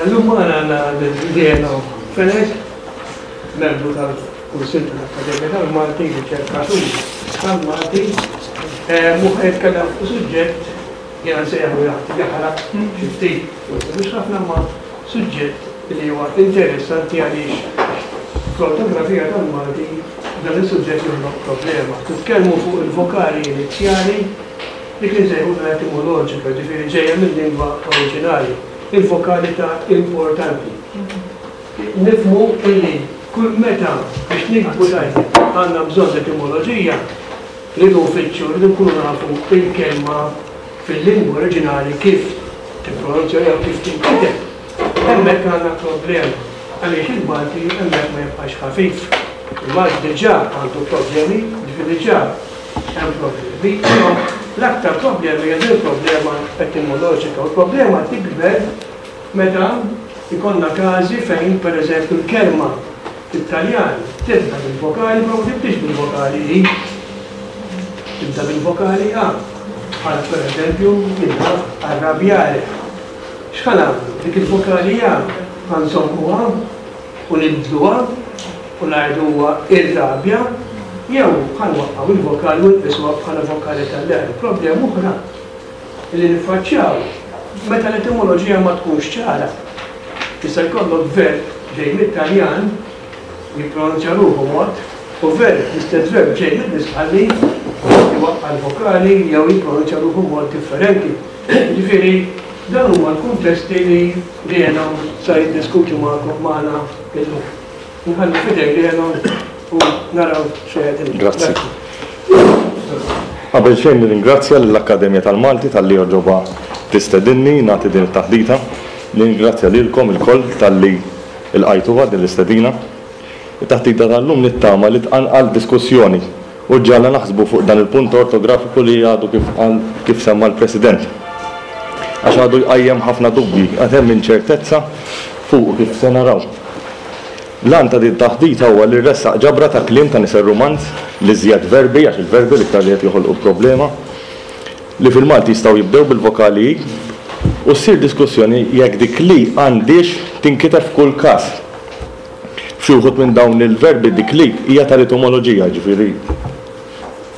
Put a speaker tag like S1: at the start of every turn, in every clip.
S1: Illum magħna għandna lil Reno Fenech, membru tal-Kunsill tal-Akkademja tal-Malti, riċerkatur tal-Malti, u ħa jitkellem fuq suġġett jiena nsejjaħlu jagħti jaħraq xi ftit, forsi mhux ħafna imma suġġett li huwa interessanti għaliex fl-ortografija tal-Malti dan is-suġġett joħloq problema. Nitkellmu fuq il-vokali inizjali Dik li nsejħulha etimoloġika, jiġifieri ġejja mil-lingwa oriġinali, il-vokali ta' importanti. Nifhmu illi kull meta biex niktbu tajjeb għandna bżonn l-etimoloġija, rridu nfittxu, rridu nkunu nafu l-kelma fil-lingwa oriġinali kif tippronunzja jew kif tinkiteb. Hemmhekk għandna problema għaliex il-Malti hemmhekk ma jibqax ħafif. Il-Malti diġà għandu problemi, jiġifieri diġà Hemm problemi, però l-aktar problema hija din il-problema etimoloġika u l-problema tikber meta jkollna każi fejn pereżempju l-kelma fit-Taljan tibda bil-vokali però ma tibdiex bil-vokali i, tibda bil-vokali a, bħal pereżempju jien naf arrabbiare. X'ħa nagħmlu? Dik il-vokali a ħa nżommuha? u nibdluha u ngħidu huwa irrabja jew ħa nwaqqgħu il-vokali u nqisuha bħala vokali tal-leħen. Problema oħra li niffaċċjaw meta l-etimoloġija ma tkunx ċara. Jista' jkollok verb ġej mit-Taljan jippronunzja ruħu mod u verb, l-istess verb ġej mill-Isqalli iwaqqa' l-vokali jew jippronunzja ruħu mod differenti. Jiġifieri dawn huma l-kuntesti li Reno sa jiddiskuti magħkom magħna illum. Nħalli f'idejn Reno u naraw x'se jgħidilna.
S2: Grazzi. Qabel xejn nirringrazzja lill-Akkademja tal-Malti talli għoġobha tistedinni nagħti din it-taħdita. Nirringrazzja lilkom ilkoll talli lqajtuha din l-istedina. It-taħdita tal-lum nittama li tqanqal diskussjoni u ġġagħalna naħsbu fuq dan il-punt ortografiku li għadu kif qal kif semma l-President. Għax għadu jqajjem ħafna dubji, għad hemm inċertezza fuqu kif se naraw. L-għan ta' din taħdita huwa li rressaq ġabra ta' kliem ta' nisel Rumanz, l-iżjed verbi, għax il-verbi l-iktar li qed joħolqu problema, li fil-Malti jistgħu jibdew bil-vokali i, u ssir diskussjoni jekk dik l-i għandhiex tinkiteb f'kull każ. F'xi wħud minn dawn il-verbi dik li hija tal-etimoloġija, jiġifieri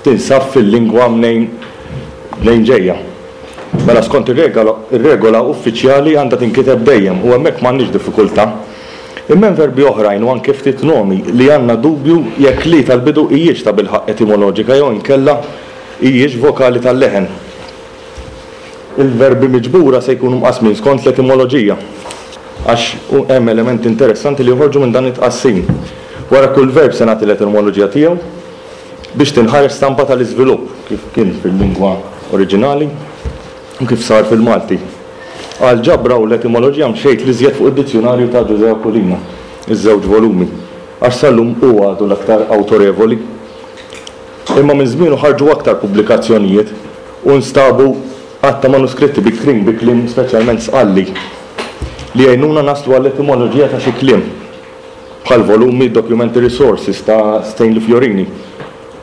S2: tinsab fil-lingwa mnejn mnejn ġejja. Mela skont ir-regola uffiċjali għandha tinkiteb dejjem u hemmhekk m'għandniex diffikultà. Imma hemm verbi oħrajn u anke ftit nomi li għandna dubju jekk l-i tal-bidu hijiex tabilħaqq etimoloġika jew inkella hijiex vokali tal-leħen. Il-verbi miġbura se jkunu mqassmin skont l-etimoloġija, għax hemm elementi interessanti li joħorġu minn dan it-tqassim. Wara kull verb se nagħti l-etimoloġija tiegħu biex tinħareġ stampa tal-iżvilupp, kif kien fil-lingwa oriġinali u kif sar fil-Malti. Għall-ġabra u l-etimoloġija mxejt l-iżjed fuq id-dizzjunarju ta' Ġużè Aquilina, iż-żewġ volumi, għax sal-lum hu għadu l-aktar awtorevoli. Imma minn żmienu ħarġu aktar pubblikazzjonijiet u nstabu għadd ta' manuskritti bikrin bi kliem speċjalment Sqalli li jgħinuna naslu għall-etimoloġija ta' xi kliem, bħall-volumi Documentary Sources ta' Stanley Fiorini,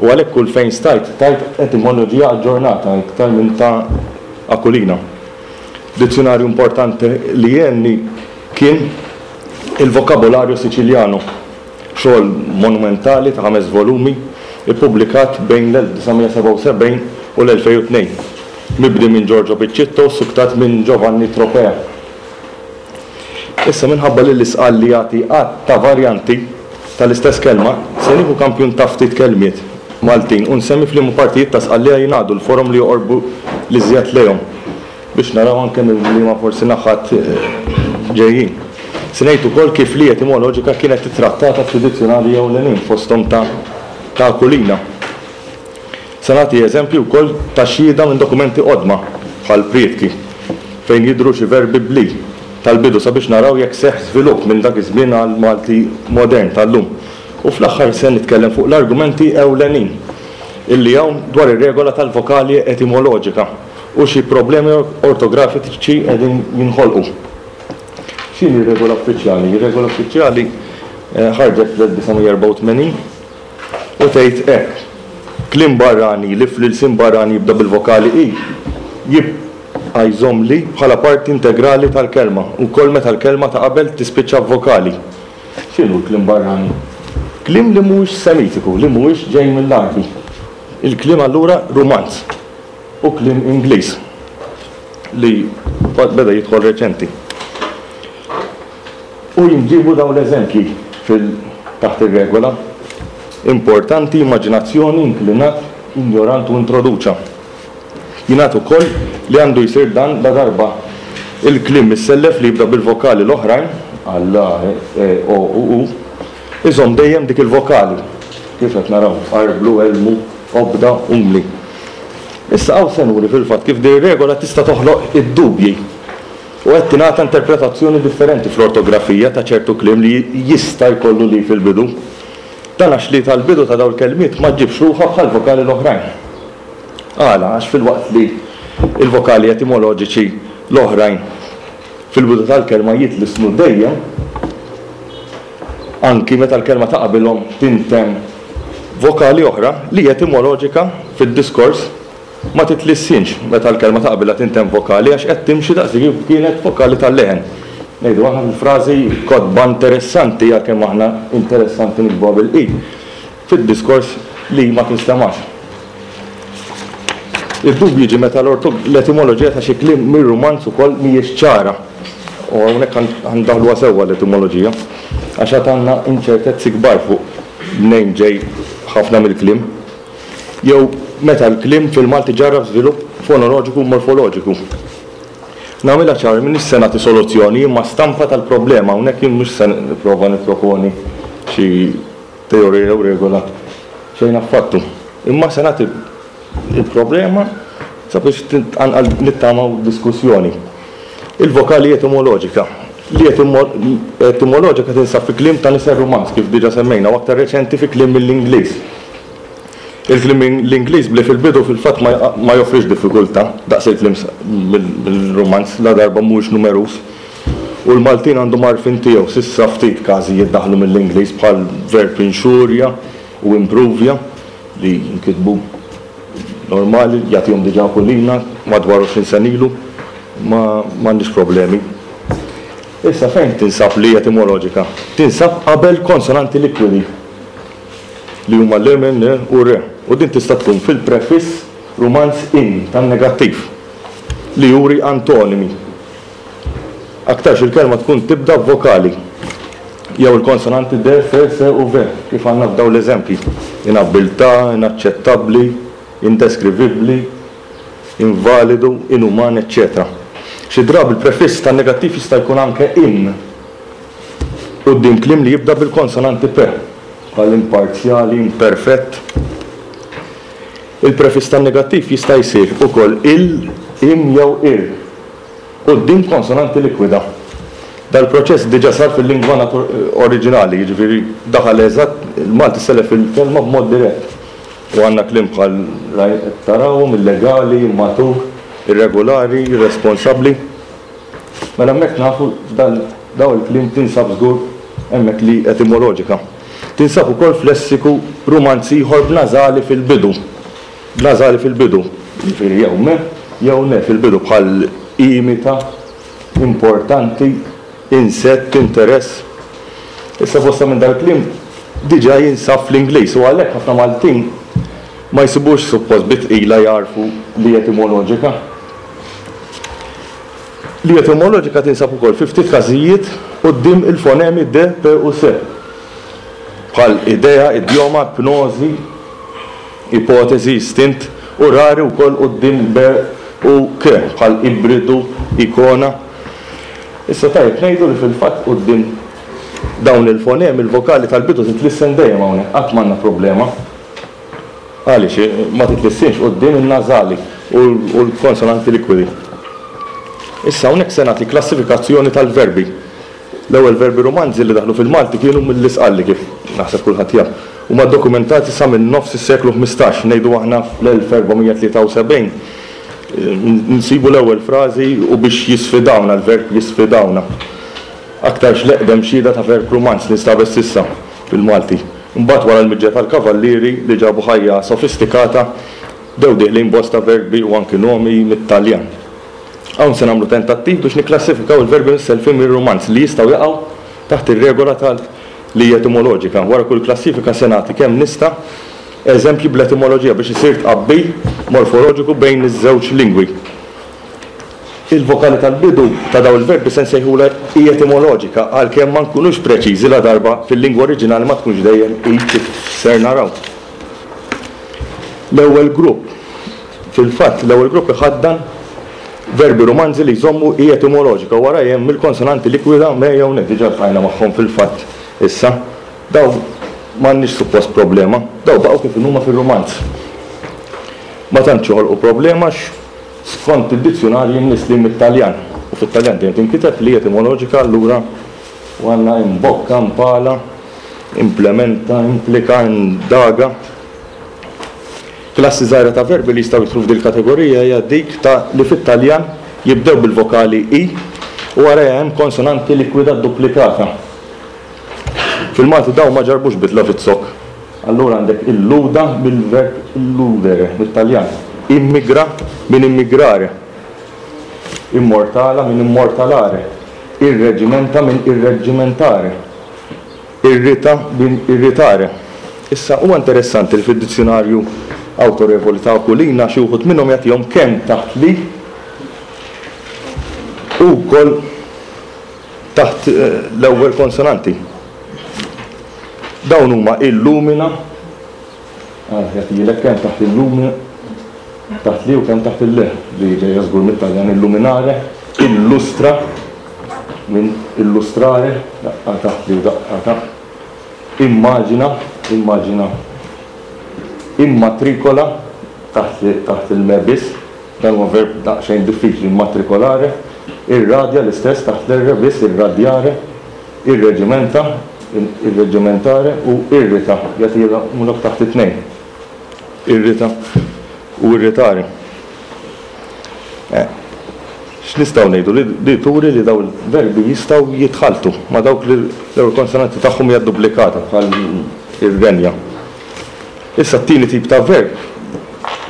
S2: u għalhekk kull fejn stajt tajt etimoloġija aġġornata iktar minn ta' Aquilina. Dizzjunarju importanti li għenni kien il Vocabolario Siciliano. Xogħol monumentali ta' ħames volumi, ippubblikat bejn l-1977 u l-2002, mibdi minn Giorgio Piccitto u ssuktat minn Giovanni Tropea. Issa minħabba li l-Isqalli jagħti għadd ta' varjanti tal-istess kelma, se nieħu kampjun ta' ftit kelmiet Maltin u nsemmi f'liema partijiet ta' Sqallija jingħadu l-forom li joqorbu l-iżjed lejhom. Biex naraw anke minn liema forsi naħat ġejjin. Se ngħid ukoll kif l-i etimoloġika kienet ittrattata f'xi dizzjunarji ewlenin fosthom ta' ta' Aquilina. Se nagħti eżempji wkoll ta' xhieda minn dokumenti qodma, bħal prietki, fejn jidhru xi verbi bl-i tal-bidu sabiex naraw jekk seħħ żvilupp minn dak iż-żmien għall-Malti modern tal-lum. U fl-aħħar se nitkellem fuq l-argumenti ewlenin illi hawn dwar ir-regola tal-vokali etimoloġika. U xi problemi ortografiċi qegħdin jinħolqu. X'inhi r-regola uffiċjali? Ir-regola uffiċjali ħarġet fl-1984 u tgħid hekk, Kliem barrani li fl-ilsien barrani jibda bil-vokali i. jibqa' jżomm li bħala parti integrali tal-kelma, ukoll meta l-kelma ta' qabel tispiċċa b'vokali. X'inhu l-kliem barrani? Kliem li mhuwiex Semitiku, li mhuwiex ġej mill-Għarbi. Il-kliem allura Rumanz u kliem Ingliż li beda jidħol reċenti. U jinġiebu dawn l-eżempji fil taħt ir-regola, importanti, immaġinazzjoni, inklinat, injorant u introduċa. Jingħad ukoll li għandu jsir dan ladarba l-kliem missellef li jibda bil-vokali l-oħrajn, bħal a, e, e, o u u, iżomm dejjem dik il-vokali, kif qed naraw, arblu, elmu, obda, umli. Issa hawn se nuri fil-fatt kif din ir-regola tista' toħloq id-dubji u qed tingħata interpretazzjoni differenti fl-ortografija ta' ċertu kliem li jista' jkollu li fil-bidu. Dan għax li tal-bidu ta' dawn il-kelmiet ma ġġibx ruħha bħall-vokali l-oħrajn. Għala? Għax filwaqt li l-vokali etimoloġiċi l-oħrajn fil-bidu tal-kelma jitlissnu dejjem, anki meta l-kelma ta' qabilhom tintemm vokali oħra, li etimoloġika fid-diskors ma titlissinx meta l-kelma ta' qabilha tintemm vokali għax qed timxi daqslikieku kienet vokali tal-leħen. Ngħidu aħna fil-frażi kotba interessanti għalkemm aħna interessanti niktbuha bil-i, fid-diskors li ma tinstemax. Id-dubju jiġi meta l-etimoloġija ta' xi kliem mir-Rumanz ukoll mhijiex ċara. U hawnhekk ħa ndaħħluha sewwa l-etimoloġija, għax għad għandna inċertezzi kbar fuq mnejn ġej ħafna mill-kliem. Jew meta l-kliem fil-Malti ġarrab żvilupp fonoloġiku u morfoloġiku. Nagħmilha ċara, m'iniex se nagħti soluzzjoni, imma stampa tal-problema. Hawnhekk jien mhux se nipprova nipproponi xi teorija jew regola, xejn affattu. Imma se nagħti l-problema sabiex tqanqal nittamaw diskussjoni. Il-vokali etimoloġika. Li etimoloġika tinsab fi kliem ta' nisel Rumanz, kif diġà semmejna, u aktar reċenti fi kliem mill-Ingliż. Il-kliem mill-Ingliż bli fil-bidu fil-fatt ma joffrix diffikultà daqs il-kliem mill-Rumanz ladarba mhuwiex numeruż. U l-Maltin għandhom għarfien tiegħu. S'issa ftit każijiet daħlu mill-Ingliż bħal verb inxurja u impruvja li jinkitbu normali, jagħtihom diġà Aquilina madwar 20 sena ilu, ma m'għandniex problemi. Issa fejn tinsab l-i etimoloġika? Tinsab qabel konsonanti likwidi li huma l, m, n u r u din tista' tkun fil-prefiss rumanz in tan-negattiv li juri antonimi. Aktarx il-kelma tkun tibda b'vokali jew il-konsonanti d, f, s u v, kif għandna f'dawn l-eżempji, inabbiltà, inaċċettabbli, indeskrivibbli, invalidu, inuman, eċċetera Xi drabi l-prefiss tan-negattiv jista' jkun anke in quddiem kliem li jibda bil-konsonanti p, bħal imparzjali, imperfett. Il-prefiss tan-negattiv jista' jsir ukoll il, im jew ir. Quddiem konsonanti likwida. Dal-proċess diġà sar fil-lingwa oriġinali, jiġifieri daħal eżatt, il-Malti selef il-kelma b'mod dirett. U għandna kliem bħal qed tarawhom, illegali, immatur, irregolari, irresponsabbli. Mela hemmhekk nafu f'dan dawn il-kliem tinsab żgur hemmhekk li etimoloġika. Tinsab ukoll f'lessiku Rumanz ieħor b'nażali fil-bidu. B'nażali fil-bidu, jiġifieri jew me jew ne fil-bidu bħal imita, importanti, insett, interess. Issa bosta minn dal-kliem diġà jinsab fl-Ingliż u għalhekk ħafna Maltin ma jsibux suppost bi tqila jagħrfu li etimoloġika. Li etimoloġika tinsab ukoll fi ftit każijiet quddiem il-fonemi d, p u s. Bħal idea, idjoma, ipnożi, ipoteżi, istint, u rari wkoll quddiem b u k, bħal ibridu, ikona. Issa tajjeb ngħidu li fil-fatt quddiem dawn il-fonemi l-vokali tal-bidu titlissen dejjem hawnhekk, qatt m'għandna problema. Għaliex ma titlissinx quddiem in-nażali u l-konsonanti likwidi. Issa hawnhekk se nagħti klassifikazzjoni tal-verbi. L-ewwel verbi Rumanzi li daħlu fil-Malti kienu mill-Isqalli, kif naħseb kulħadd jaf. Huma ddokumentati sa minn nofs is-seklu 15, ngħidu aħna fl-1473 nsibu l-ewwel frażi u biex jisfidawna, l-verb jisfidawna. Aktarx l-eqdem xhieda ta' verb Rumanz li nstabet s'issa fil-Malti. Imbagħad wara l-miġja tal-Kavallieri li ġabu ħajja sofistikata, bdew dieħlin bosta verbi u anki nomi mit-Taljan. Hawn se nagħmlu tentattiv biex nikklassifikaw il-verbi missellfin mir-Rumanz li jistgħu jaqgħu taħt ir-regola tal li hija etimoloġika. Wara kull klassifika se nagħti kemm nista' eżempji bl-etimoloġija biex isir tqabbil morfoloġiku bejn iż-żewġ lingwi. Il-vokali tal-bidu ta' dawn il-verbi se nsejħulha i etimoloġika għalkemm ma nkunux preċiżi ladarba fil-lingwa oriġinali ma tkunx dejjem i kif ser naraw. L-ewwel grupp, Fil-fatt, l-ewwel grupp iħaddan verbi rumanzi li jżommu i etimoloġika u warajha hemm il-konsonanti likwida me jew ne, diġà ltqajna magħhom fil-fatt issa. Dawn m'għandniex suppost problema, dawn baqgħu kif inhuma fir-rumanz. Ma tantx joħolqu problema għax skont id-dizzjunarji mnisslin mit-Taljan, u fit-Taljan dejjem tinkiteb l-i etimoloġika allura u għandna imbocca, impala, implementa, implika, indaga. Klassi żgħira ta' verbi li jistgħu jidħlu f'dil-kategorija hija dik ta' li fit-Taljan jibdew bil-vokali i u warajha hemm konsonanti likwida dduplikata. Fil-Malti dawn ma ġarrbux bidla fiz-zokk. Allura għandek illuda mill-verb illudere mit-Taljan, immigra minn immigrare, immortala minn immortalare, irreġimenta minn irreggimentare. Irrita minn irritare. Issa, huwa interessanti li fid-dizzjunarju awtorevoli ta' Aquilina xi wħud minnhom jagħtihom kemm taħt li u wkoll taħt l-ewwel konsonanti. Dawn huma illumina, jagħtijilek kemm taħt illumina, taħt li u kemm taħt il-le, li ġejja żgur mit-Taljan illuminare, illustra, minn illustrare, daqqa taħt li u daqqa taħt, immaġina, immaġina, immatrikola, taħt, taħt il-me biss, dan huwa verb daqsxejn diffiċli, immatricolare, irradja l-istess taħt l-r biss, irradjare, irreġimenta, irreġimentare u irrita, jagħtihomlok taħt it-tnejn. Irrita u irritare. Eh, x'nistgħu ngħidu li turi li dawn il-verbi jistgħu jitħalltu ma' dawk li l-ewwel konsonanti tagħhom hija duplikata bħal irrenja. Issa t-tieni tip ta' verb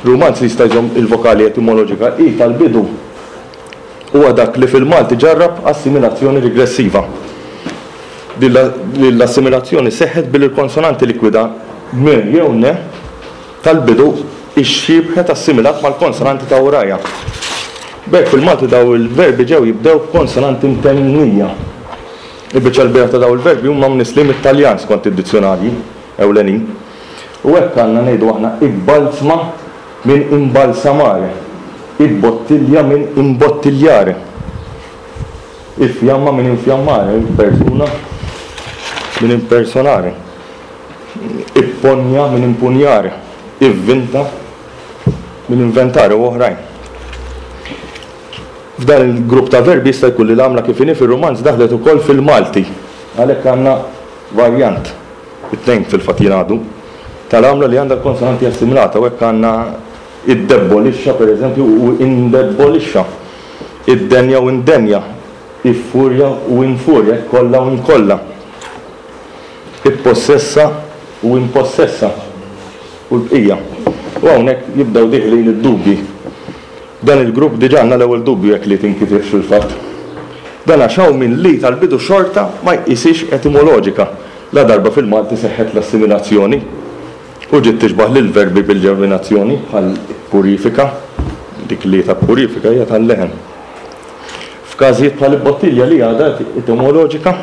S2: rumanz li jista' jżomm il-vokali etimoloġika i tal-bidu huwa dak li fil-Malti ġarrab assimilazzjoni rigressiva. Din l-assimilazzjoni seħħet billi l-konsonanti likwida m jew n tal-bidu ixxiebħet assimilat mal-konsonanti ta' warajha. B'hekk fil-Malti dawn il-verbi ġew jibdew b'konsonanti mtennija. Il-biċċa l-kbira ta' dawn il-verbi huma mnisslin mit-Taljan skont id-dizzjunarji ewlenin. U hekk għandna ngħidu aħna ibbalzma minn imbalsamare, ibbottilja minn imbottigliare, iffjamma minn infjammare, impersuna minn impersonare, ipponja minn impugnare, ivvinta minn inventare u oħrajn. F'dan il-grupp ta' verbi jista' jkun li l-għamla kif inhi fir-rumanz daħlet ukoll fil-Malti. Għalhekk għandna varjant. It-tnejn fil-fatt jingħadu, tal-għamla li għandha l-konsonanti assimilata u hekk għandna iddebbolixxa pereżempju u indebbolixxa, iddenja u indenja, iffurja u infurja, ikkolla u inkolla, ippossessa u impossessa u l-bqija. U hawnhekk jibdew dieħlin id-dubji. Dan il-grupp diġà għandna l-ewwel dubju jekk li tinkitibx fil-fatt. Dan għax hawn min li tal-bidu xorta ma jqishiex etimoloġika, ladarba fil-Malti seħħet l-assimilazzjoni u ġiet tixbah lill-verbi bil-ġerminazzjoni bħal ippurifika, dik li ta' purifika hija tal-leħen. F'każijiet bħal ibbottilja li għadha etimoloġika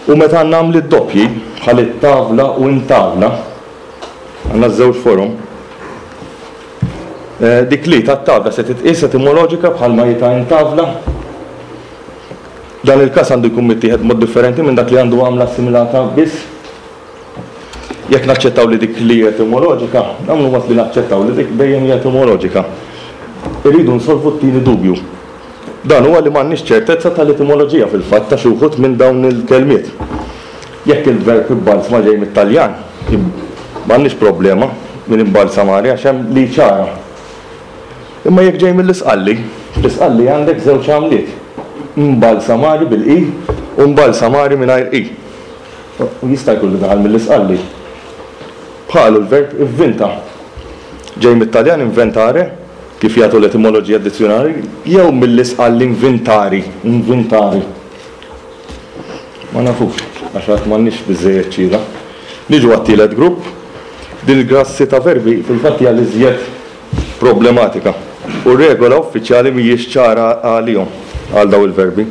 S2: u meta għandna għamliet doppji bħal ittavla u intavla, għandna ż-żewġ forom, Dik li tat-tavla se titqies etimoloġika bħalma hi ta' intavla. Dan il-każ għandu jkun mittieħed b'mod differenti minn dak li għandu għamla assimilata biss. Jekk naċċettaw li dik li hi etimoloġika, nagħmlu mod li naċċettaw li dik dejjem hija etimoloġika. Irridu nsolvu t-tieni dubju. Dan huwa li m'għandniex ċertezza tal-etimoloġija fil-fatt ta' xi wħud minn dawn il-kelmiet. Jekk il-verb ibbalzma ġej mit-Taljan, m'għandniex problema minn imbalsamare għax hemm li ċara. Imma jekk ġej mill-Isqalli, fl-Isqalli għandek żewġ għamliet, mbalsamari bil-i u mbalsamari mingħajr i. U jista' jkun li daħal mill-Isqalli. Bħalu l-verb ivvinta. Ġej mit-Taljan inventare. kif jagħtu l-etimoloġija d-dizzjunarji, jew mill-Isqalli invintari, invintari. Ma nafux, għax għad m'għandniex biżżejjed xhieda. Niġu għat-tielet grupp. Din il-klassi ta' verbi fil-fatt hija l-iżjed problematika u r-regola uffiċjali mhijiex ċara għalihom, għal dawn il-verbi.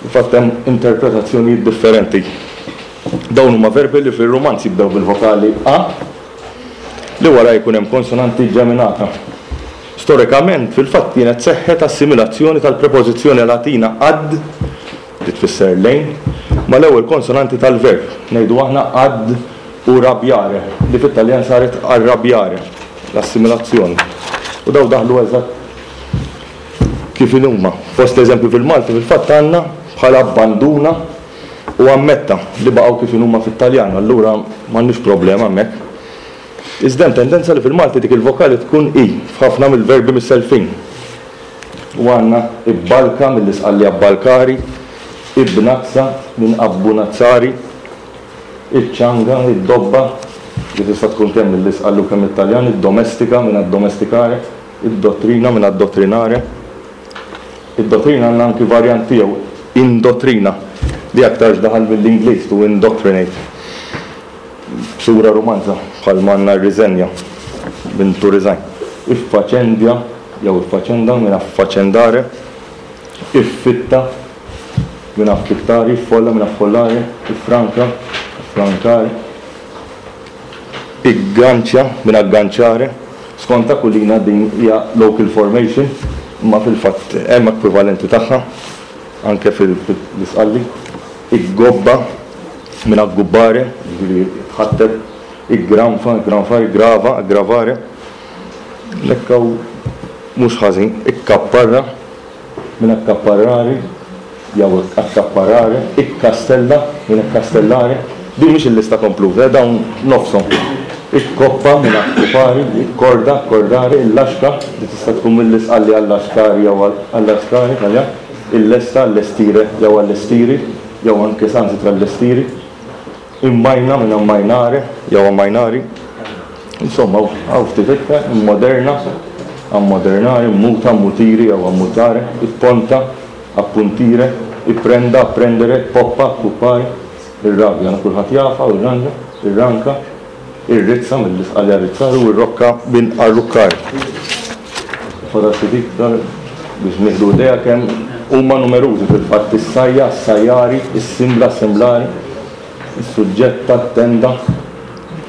S2: Fil-fatt hemm interpretazzjonijiet differenti. Dawn huma verbi li fir-Rumanz jibdew bil-vokali a li wara jkun hemm konsonanti ġeminata. Storikament, fil-fatt kienet seħħet assimilazzjoni tal-prepożizzjoni Latina ad, li tfisser lejn, mal-ewwel konsonanti tal-verb, ngħidu aħna ad urabbiare, li fit-Taljan saret arrabbiare, l-assimilazzjoni. U dawn daħlu eżatt kif inhuma. Fost l-eżempji fil-Malti fil-fatt għandna bħal abbanduna, U ammetta li baqgħu kif inhuma fit-Taljan, allura m'għandniex problema hemmhekk. Iżda hemm tendenza li fil-Malti dik il-vokali tkun i f'ħafna mill-verbi missellfin. U għandna ibbalka mill-Isqalli abbalkari, ibnazza minn abbunazzari, iċ-ċanga, id-dobba, li tista' tkun kemm mill-Isqalli u kemm mit-Taljan, iddomestika minn addomesticare, id-dottrina minn addottrinare. Id-dottrina għandna anki varjant tiegħu, indottrina, li aktarx daħal mill-Ingliż, to indoctrinate, b'sura rumanza, bħalma għandna rriżenja minn to resign. Iffaċendja jew iffaċenda minn affaċendare, iffitta minn affittare, iffolla minn affollare, iffranka, affrancare, Igganċja minn agganciare. Skont Aquilina din hija local formation, imma fil-fatt hemm ekwivalenti tagħha anke fil-Isqalli. Iggobba minn aggubbare, jiġifieri tħatteb, iggranfa, iggranfare, iggrava, aggravare. Hekk hawn mhux ħażin. Ikkapparra minn accapparrare jew accapparare, ikkastella minn accastellare. Din mhix il-lista kompluta, eh, dawn nofshom. Ikkoppa minn accupari, ikkorda, accordare, illaxka, li tista' tkun mill-Isqalli allaxkari jew allascare, Taljan, illesta, allestire jew allestiri, jew anke sansitra allestiri. Immajna minn ammainare jew ammainari. Insomma, hawn ftit iktar, immoderna, ammodernare, immuta, ammutiri jew ammutare, ipponta, appuntire, ipprenda, apprendere, ippoppa, appuppare, irrabja, kulħadd jafha, u irranġa, irranka, irrizza mill-Isqalja arrizzare u irrokka minn arruccare. Fadal ftit iktar biex nieħdu idea kemm huma numerużi fil-fatt is-sajja, s-sajjari, is-simbla, assemblare, is-suġġetta, t-tenda,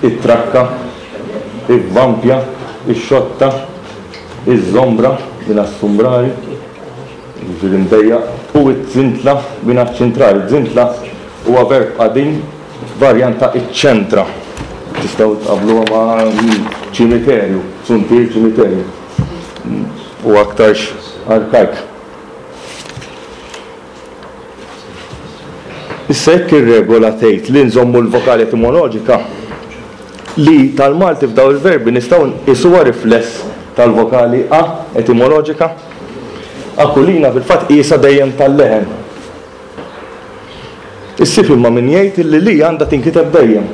S2: it-trakka, ivvampja, ix-xotta, iż-żombra minn assumbrari, jiġifieri mdejjaq, u t-zintla minn accentrare. Zintla huwa verb qadim varjant ta' iċċentra. Tistgħu tqabbluha ma' ċimiterju, suntier ċimiterju. U aktarx arkajk. Issa jekk ir-regola tgħid li nżommu l-vokali etimoloġika, li tal-Malti f'dawn il-verbi nistgħu nqisuha rifless tal-vokali a etimoloġika. Aquilina fil-fatt qiesha dejjem tal-leħen. Issib imma min jgħid illi li għandha tinkiteb dejjem.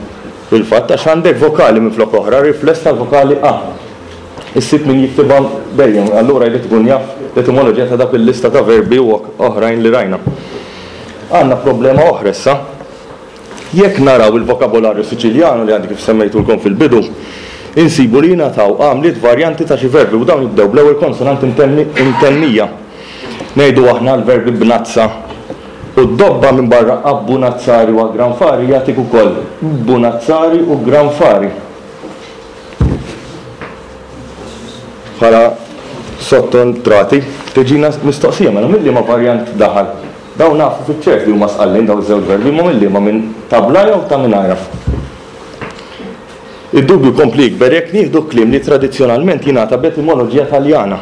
S2: Fil-fatt għax għandek vokali minflok oħra, rifless tal-vokali a. Issib min jiktibha dejjem, allura jrid ikun jaf l-etimoloġija ta' dak il-lista ta' verbi u oħrajn li rajna. Għandna problema oħra issa. Jekk naraw il-vokabolarju Siċiljanu li għandi kif semmejtulkom fil-bidu, insibu li jingħataw għamliet varjanti ta' xi verbi u dawn jibdew bl-ewwel konsonanti imtennija. Ngħidu aħna l-verbi bnazza u ddobba minbarra abbunazzari u aggranfari jagħtik ukoll bbunazzari u ggranfari. Bħala sottontrati tiġina mistoqsija mela minn liema varjant daħal? Dawn nafu fiċ-ċert li huma Sqallin dawn iż-żewġ verbi imma minn liema minn ta' bla jew ta' mingħajra? Id-dubju jkompli jikber jekk nieħdu kliem li tradizzjonalment jingħata b'etimoloġija Taljana.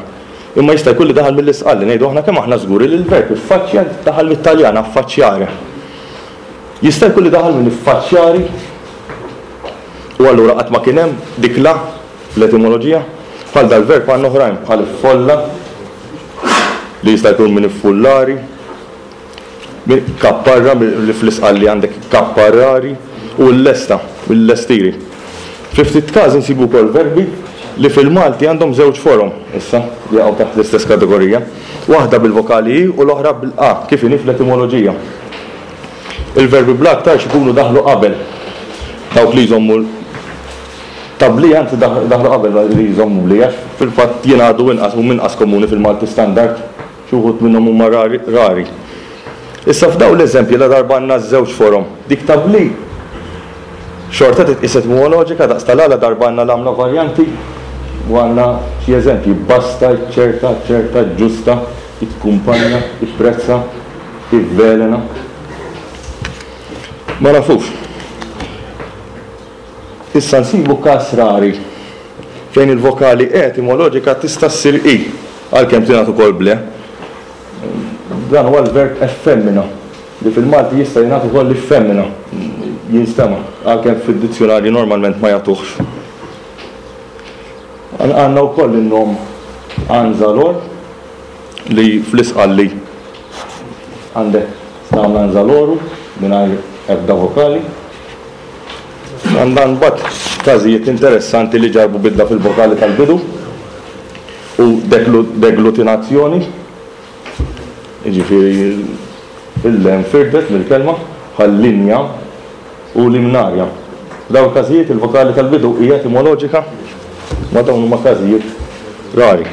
S2: Imma jista' jkun li daħal mill-Isqalli, ngħidu aħna kemm aħna żguri li l-verb iffaċċja daħal mit-Taljan affacciare. Jista' jkun li daħal minn iffaċċjari u allura qatt ma kien hemm dik l-a fl-etimoloġija. Bħal dal-verb għandna oħrajn bħal iffolla li jista' jkun minn iffullari, minn kapparra li fl-Isqalli għandek kapparrari u l-lesta mill-lestiri. Fi ftit każi nsibu wkoll verbi. li fil-Malti għandhom żewġ forom issa li jaqgħu taħt l-istess kategorija, waħda bil-vokali i u l-oħra bil-a kif inhi fl-etimoloġija. Il-verbi bl-a aktarx ikunu daħlu qabel dawk li jżommu ta' bl-i, anzi daħlu qabel li jżommu bl-i għax fil-fatt jingħadu inqas, huma inqas komuni fil-Malti standard. Xi wħud minnhom huma rari rari. Issa f'dawn l-eżempji ladarba għandna ż-żewġ forom, dik ta' bli xorta titqies etimoloġika daqs ta' la ladarba għandna l-għamla varjanti u għandna xi eżempji, basta, iċċerta, aċċerta, ġġusta, ikkumpanja, ipprezza, ivvelena. Ma nafux. Issa nsibu każ rari fejn il-vokali e etimoloġika tista' ssir i, għalkemm tingħad ukoll bl-e. Dan huwa l-verb effemmina, li fil-Malti jista' jingħad ukoll iffemmina, jinstema', għalkemm fid-dizzjunarji normalment ma jagħtuhx. Għandna wkoll in-nom Anzalor, li fl-Isqalli għandek tagħmel Anzaloru mingħajr ebda vokali. Għandna mbagħad każijiet interessanti li ġarrbu bidla fil-vokali tal-bidu u deglutinazzjoni, jiġifieri l-e nfirdet mill-kelma, bħal linja u limnarja. F'dawn il-każijiet il-vokali tal-bidu hija etimoloġika, ma dawn huma każijiet rari.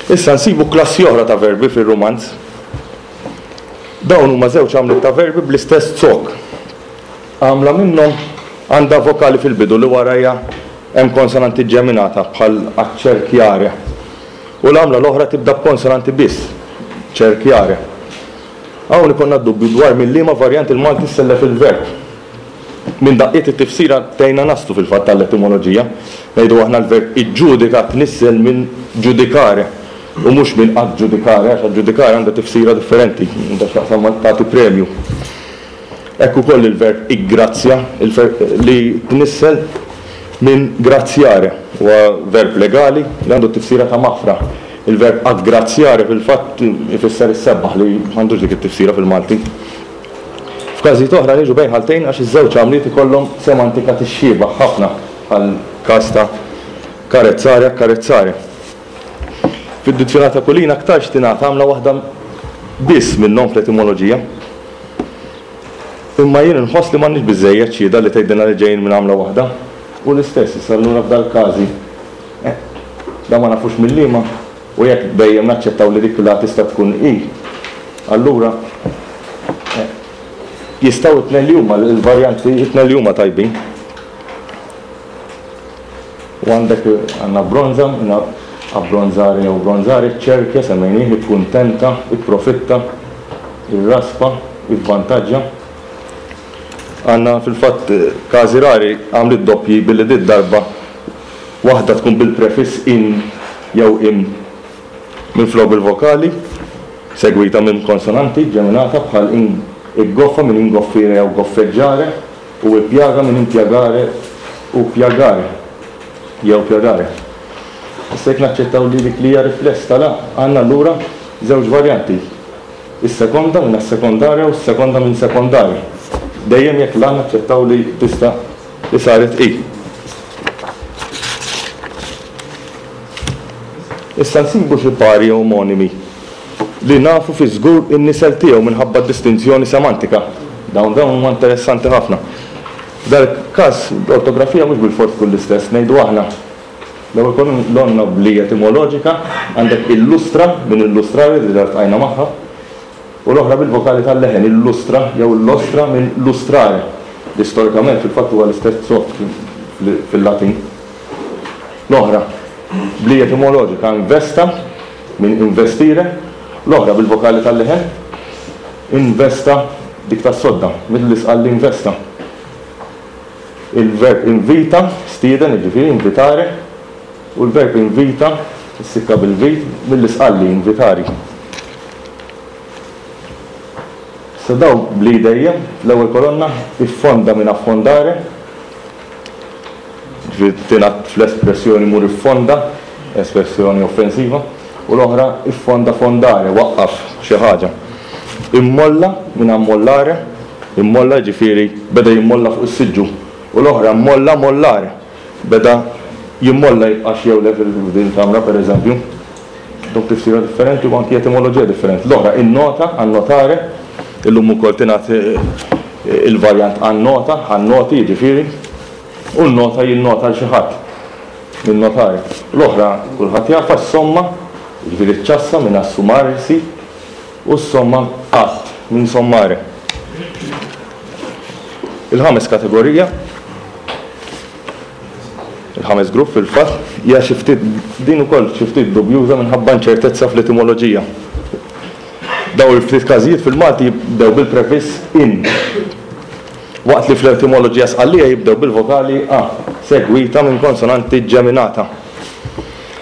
S2: Issa nsibu klassi oħra ta' verbi fir-Rumanz. Dawn huma żewġ għamliet ta' verbi bl-istess zokk. Għamla minnhom għandha vokali fil-bidu li warajha hemm konsonanti ġeminata bħal accerchiare u l-għamla l-oħra tibda b'konsonanti biss, cerchiare. Hawn ikollna d-dubju dwar minn liema varjant il-Malti ssellef il-verb. Minn daqqiet it-tifsira tgħinna naslu fil-fatt għall-etimoloġija. Ngħidu aħna l-verb iġġudika tnissel minn giudicare u mhux minn aġġudicare għax aġġudicare għandha tifsira differenti, għandha x'taqsam ma' tagħti premju. Hekk ukoll il-verb iggrazzja, li tnissel minn graziare, huwa verb legali li għandu t-tifsira ta' maħfra. Il-verb aggraziare fil-fatt ifisser issebbaħ li m'għandux dik it-tifsira fil-Malti. F'każijiet oħra niġu bejn ħaltejn għax iż-żewġ għamliet ikollhom semantika tixxiebah ħafna bħall-każ ta' carezzare accarezzare. Fid-dizzjunarju ta' Kulin aktarx tingħata għamla waħda biss minnhom fl-etimoloġija. Imma jien inħoss li m'għandniex biżżejjed xhieda li tgħidilna li ġejjin minn għamla waħda. U l-istess issa allura f'dal-każi. Eh, dan ma nafux minn liema, u jekk dejjem naċċettaw li dik l-a tista' tkun i, allura eh, jistgħu t-tnejn li huma, il-varjanti t-tnejn li huma tajbin. U għandek għandna bronza, abbronzare jew bronzare, ċerkja, semmejnieh, ikkuntenta, ipprofitta, irraspa, ivvantaġġa. Għandna fil-fatt każi rari għamliet doppji billi did-darba waħda tkun bil-prefiss in jew im minflok bil-vokali, segwita minn konsonanti ġeminata bħal in iggoffa minn ingoffire jew goffeggiare. U ippjaga minn impjagare u pjagare, jew pjagare. Issa jekk naċċettaw li dik li hija rifless ta' la, għandna allura żewġ varjanti, is-sekonda minn assekondare u s-sekonda minn sekondare, dejjem jekk la naċċettaw li tista' li saret i. Issa nsibu xi pari omonimi li nafu fiż-żgur in-nisel tiegħu minħabba d-distinzjoni semantika. Dawn dawn huma interessanti ħafna. F'dal-każ l-ortografija mhux bilfors tkun l-istess, ngħidu aħna l-ewwel kolonna bli etimoloġika għandek illustra minn illustrare li diġà ltqajna magħha u l-oħra bil-vokali tal-leħen illustra jew illostra minn lustrare li storikament fil-fatt huwa l-istess zokk fil-Latin. L-oħra bli etimoloġika investa minn investire, l-oħra bil-vokali tal-leħen, investa, dik tas-sodda, mill-Isqalli investa. Il-verb invita, stieden, jiġifieri invitare, u l-verb invita, issikka bil-vit, mill-Isqalli invitari. Issa dawn bl-i dejjem, fl-ewwel kolonna, iffonda minn affondare, Ġifieri tingħad fl-espressjoni mur iffonda, espressjoni offensiva, u l-oħra iffonda fondare, waqqaf xi ħaġa. Immolla minn ammollare, immolla jiġifieri beda jimmolla fuq is-siġġu, u l-oħra mmolla mollare, beda Jimmolla jibqax jew le f'din il-kamra, pereżempju. Dawk tifsira differenti u anki etimoloġija differenti. L-oħra, innota, annotare, illum ukoll tingħad il-varjant annota, annoti jiġifieri, u nnota jinnota 'l xi ħadd, ninnotare. L-oħra kulħadd jafha, ssomma, jiġifieri ċċassa minn assumarsi, u ssomma att minn sommare. Il-ħames kategorija. Il-ħames grupp fil-fatt hija xi ftit din ukoll xi ftit dubjuża minħabba inċertezza fl-etimoloġija. Dawn il-ftit każijiet fil-Malti jibdew bil-prefiss in, waqt li fl-etimoloġija Sqallija jibdew bil-vokali a segwita minn konsonanti ġeminata.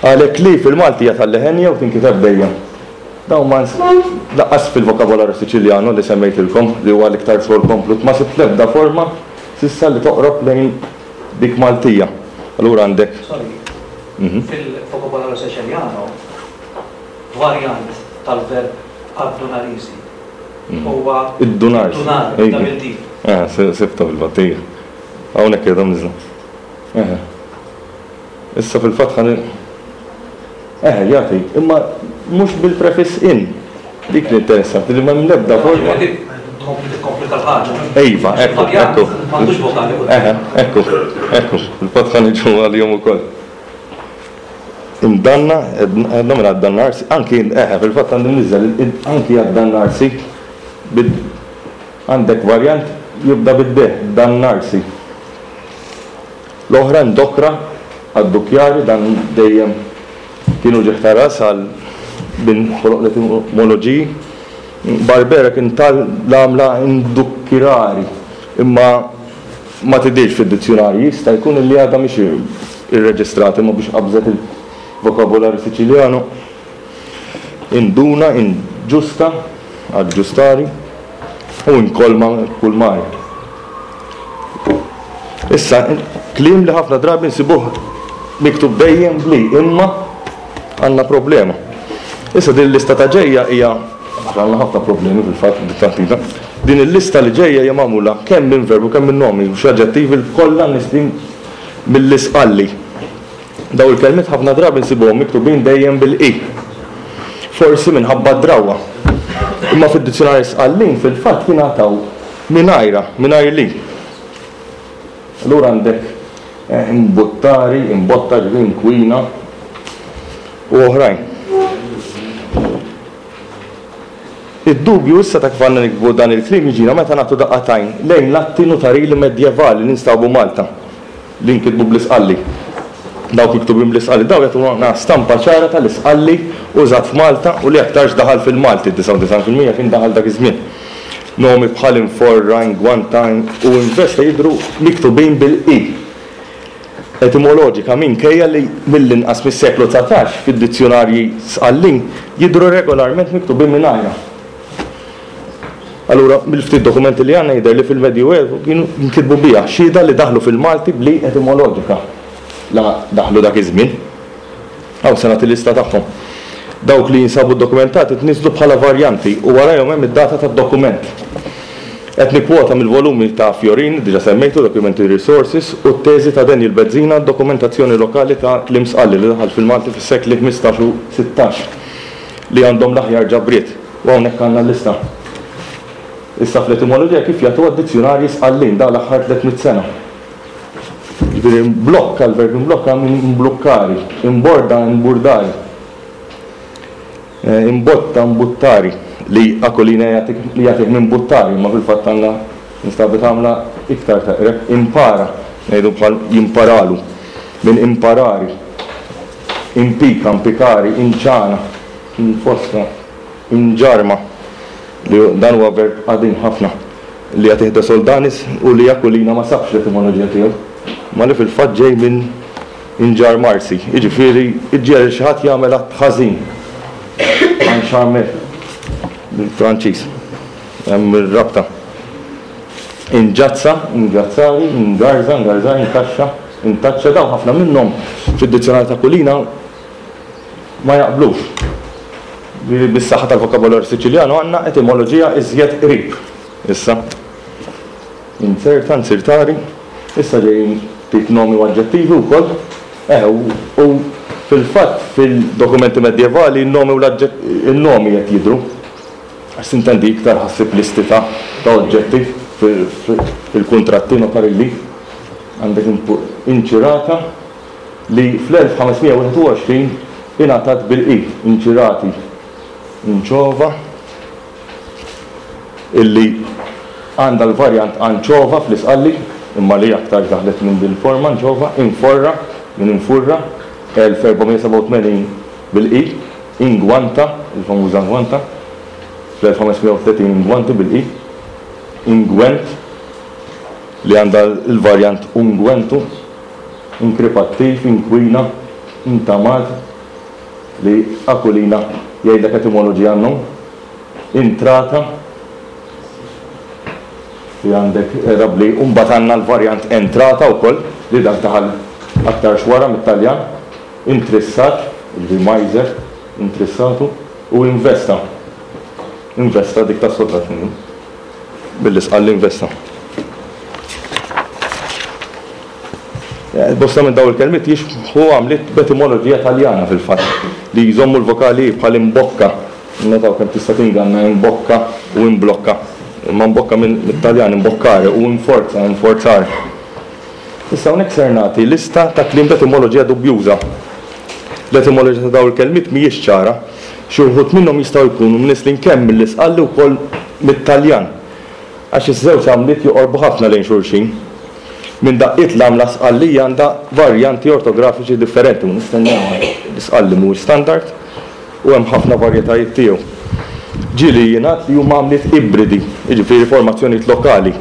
S2: Għalhekk li fil-Malti hija tal-leħenja u tinkiteb dejjem. Dawn ma lanqas fil-vokabolarju Siċiljanu li semmejtilkom, li huwa l-iktar xogħol komplut, ma sibt l-ebda forma s'issa li toqrob lejn dik Maltija. Allura għandek.
S3: Sorry. Fil-Vocabolaro Siciliano, varjant tal-verb addunarisi huwa
S2: Iddunarsi.
S3: Iddunar, double D.
S2: Eh, sibtha fil-fatt, ija. Hawnhekk qiegħda mniżżla. Eħe. Issa fil-fatt ħa Eħe, jagħti, imma mhux bil-prefiss in. Dik li interessanti li m'hemm l-ebda forma.
S3: Tkompli tikkomplika l-ħaġa.
S2: Iva, ekku, ekku.
S3: M'għandux vokali quddiem.
S2: Eħe, ekku, ekku. Fil-fatt ħa niġu għalihom ukoll. Imdanna, għedna minn addannarsi, anki, eħe, fil-fatt għandi mniżżel, anki addannarsi, għandek varjant jibda bid-D, dannarsi. L-oħra indokra għad-dukjari, dan dejjem kien uġigħ ta' ras għal min ħoloq l-etimoloġiji. Barbera kien ta l-għamla indukkirari, imma ma tidhirx fid-dizzjunarji, jista' jkun li għadha mhix irreġistrata imma biex qabżet il-vokabolarju Siċiljanu. Induna, inġusta, aġġustari, u inkolma, kulmari. Issa, kliem li ħafna drabi nsibuh miktub dejjem bli, imma għandna problema. Issa din il-lista ta' ġejja hija għandna ħafna problemi fil-fatt bit-taħdita. Din il-lista li ġejja hija magħmula kemm minn verbi u kemm minn nomi u xi aġġettivi kollha nislin mill-Isqalli. Dawn il-kelmiet ħafna drabi nsibuhom miktubin dejjem bil-i. Forsi minħabba d-drawwa. Imma fid-dizzjunarji Sqallin fil-fatt jingħataw mingħajrha, mingħajr l-i. Allura għandek imbuttari, imbotta, ġifieri inkwina u oħrajn. Id-dubju issa ta' kif għandna niktbu dan il-kliem jiġina meta nagħtu daqqa t'għajn lejn l-atti notarili medjevali li nstabu Malta, li nkitbu bl-Isqalli. Dawk miktubin bl-Isqalli dawn jagħtuna stampa ċara tal-Isqalli użat f'Malta u li aktarx daħal fil-Malti, 99% kien daħal dak iż-żmien. Nomi bħal Inforra, Ingwanta u Investa jidhru miktubin bil-i. Etimoloġika minkejja li mill-inqas mis-seklu 19 fid-dizzjunarji Sqallin jidhru regolarment miktubin mingħajrha. Allura, mill-ftit dokumenti li għandna jidher li fil-Medjuevu kienu jinkitbu biha, xhieda li daħlu fil-Malti bl-i etimoloġika la daħlu dak iż-żmien. Hawn se nagħti lista tagħhom. Dawk li jinsabu ddokumentati tniżżlu bħala varjanti u warajhom hemm id-data tad-dokument. Qed nikkwota mill-volumi ta' Fiorini, diġà semmejtu, Documentary Resources, u t-teżi ta' Daniel Bezzina, Dokumentazzjoni lokali ta' kliem Sqalli li daħal fil-Malti fis-sekli 15 u 16, li għandhom l-aħjar ġabriet. U hawnhekk għandna l-lista. Issa fl-etimoloġija kif jagħtuha d-dizzjunarji Sqallin dan l-aħħar 300 sena. Jiġifieri mblokka, l-verb imblokka minn imblukkari, imborda, imburdari, imbotta, imbuttari, li Aquilina jagħtik li jagħtih minn buttari, imma fil-fatt għandna instabet għamla iktar teqreb, impara, ngħidu bħal jimparalu, minn imparari, impika, impikari, inċana, infossa, inġarma, li dan huwa verb qadim ħafna. Li jagħtih De Soldanis u li Aquilina ma sabx l-etimoloġija tiegħu, imma li fil-fatt ġej minn inġarmarsi, jiġifieri iġġiegħel lil xi ħadd jagħmel att ħażin, encharmer bil-Franċiż. Hemm ir-rabta. Inġazza, ingazzari, ingarża, ingarżari, inkaxxa, intaċċa, dawn ħafna minnhom fid-dizzjonarju ta' Aquilina ma jaqblux. Bis-saħħa tal-vokabolarju Siċiljanu għandna etimoloġija iżjed qrib. Issa, inzerta, nzirtari, issa ġejjin ftit nomi u aġġettivi wkoll. Eh, u fil-fatt fil-dokumenti medjevali n-nomi u l-nomi qed jidhru. Għax sintendi iktar ħassib listi ta' oġġetti fil-kuntratti notarili. Għandek inċirata li fl-1521 ingħatat bil-i, inċirati, inċova, illi għandha l-varjant anċova fl-Isqalli, imma li aktarx daħlet minn din il-forma anċova, inforra, minn infurra, 1487 bil-i, ingwanta, il-famuża ngwanta, fl-1530 ingwanti bil-i, ingwent, li għandha l-varjant ungwentu, inkripattiv, inkwina, intamat, li Aquilina jgħidlek etimoloġija għan-nom, intrata, li għandek rabli, u mbagħad għandna l-varjant entrata wkoll, li dak daħal aktarx wara mit-Taljan, intrissat, jiġifieri majżer, intrissatu, u investa. Investa dik tas-soltu qed ngħidu. Billi investa. Bosta minn dawn il-kelmiet jixbħu għamliet b'etimoloġija Taljana fil-fatt, li jżommu l-vokali i bħal imbocca. Innotaw kemm tista' tinganna imbocca u imblocca. Imma imbocca mit-Taljan imboccare u inforza, inforzare. Issa hawnhekk ser nagħti lista ta' kliem b'etimoloġija dubjuża. L-etimoloġija ta' dawn il-kelmiet mhijiex ċara. Xi wħud minnhom jistgħu jkunu mnisslin kemm mill-Isqalli wkoll mit-Taljan. Għax iż-żewġ għamliet joqorbu ħafna lejn xulxin. Minn daqqiet l-għamla Sqallija għandha varjanti ortografiċi differenti u nistennew għax l-Isqalli mhuwiex standard u hemm ħafna varjetajiet tiegħu. Ġieli jingħad li huma għamliet ibridi, jiġifieri formazzjonijiet lokali.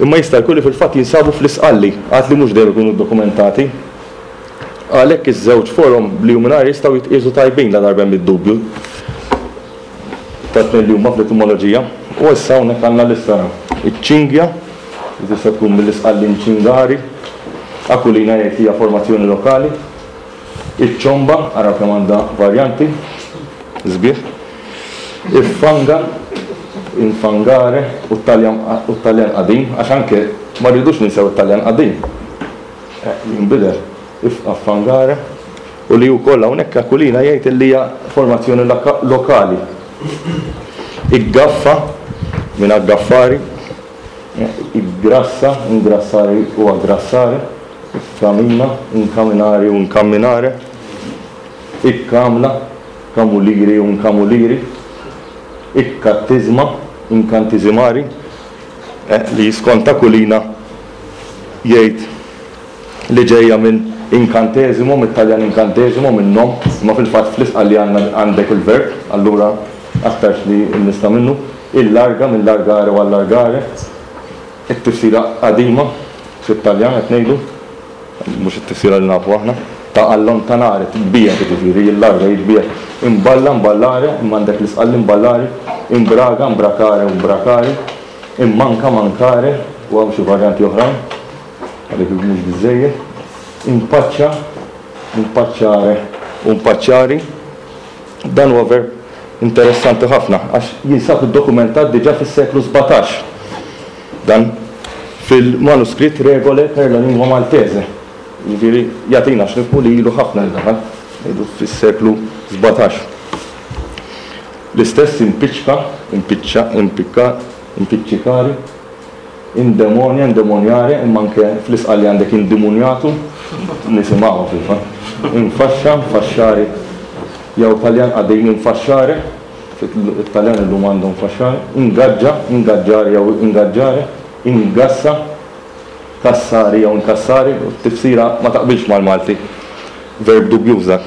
S2: Imma jista' jkun li fil-fatt jinsabu fl-Isqalli, għad li mhux dejjem ikunu ddokumentati. Għalhekk iż-żewġ forom b'li u mingħajr jistgħu jitqiesu tajbin ladarba hemm id-dubju. Tat-tnejn li huma fl-etimoloġija. U issa hawnhekk għandna lista araw. Iċ-ċinghja, li tista' tkun mill-Isqallin ċingari, Aquilina jgħid li hija formazzjoni lokali. Iċ-ċomba, araw kemm għandha varjanti, sbieħ. Iffanga, infangare, u t-Taljan u t-Taljan qadim, għax anke ma rridux ninsew it-Taljan qadim. Jinbidel. Affangare. U li wkoll hawnhekk Aquilina jgħid li hija formazzjoni lokali. Iggaffa, minn aggaffari, iggrassa, ingrassare u aggrassare, ikkamina, inkaminare u incamminare, ikkamla, kamuliri u incamuliri, ikkattizma, inkantisimari, li skont Aquilina jgħid li ġejja minn incantesimo, mit-Taljan incantesimo, minn nom, imma fil-fatt fl-Isqalli għandna għandek il-verb, allura aktarx li nista' minnu, illarga, minn largare u allargare, it-tifsira qadima fit-Taljan qed ngħidu, mhux it-tifsira li nafu aħna, ta' allontanare, tbiegħed jiġifieri, jillarga, jitbiegħed, imballa, imballare, imma għandek l-Isqalli imballari, imbraga, imbracare u imbracari, immanka, mancare, u hawn xi varjanti oħrajn. Għalhekk mhux biżżejjed. Impaċċa, impaċċare u mpaċċari. Dan huwa verb interessanti ħafna għax jinsab iddokumentat diġà fis-seklu 17. Dan fil-manuskritt Regole per la lingua maltese. Jiġifieri jagħtina x'nifhmu li ilu ħafna li daħal, ngħidu fis-seklu 17. L-istess impiċċka, impiċċa, impikka, impiċċikari. Indemonia, indemoniare, imma anke fl-Isqalli għandek indimuniatu, nisimgħuha fil-fatt. Infaxxa, nfaxxari, jew Taljan qadim infasciare, it-Taljan illum għandhom fasciare, ingaġġa, ingaġġare jew ingaġġare, ingassa, kassari jew inkassari, u t-tifsira ma taqbilx mal-Malti. Verb dubjuż dak.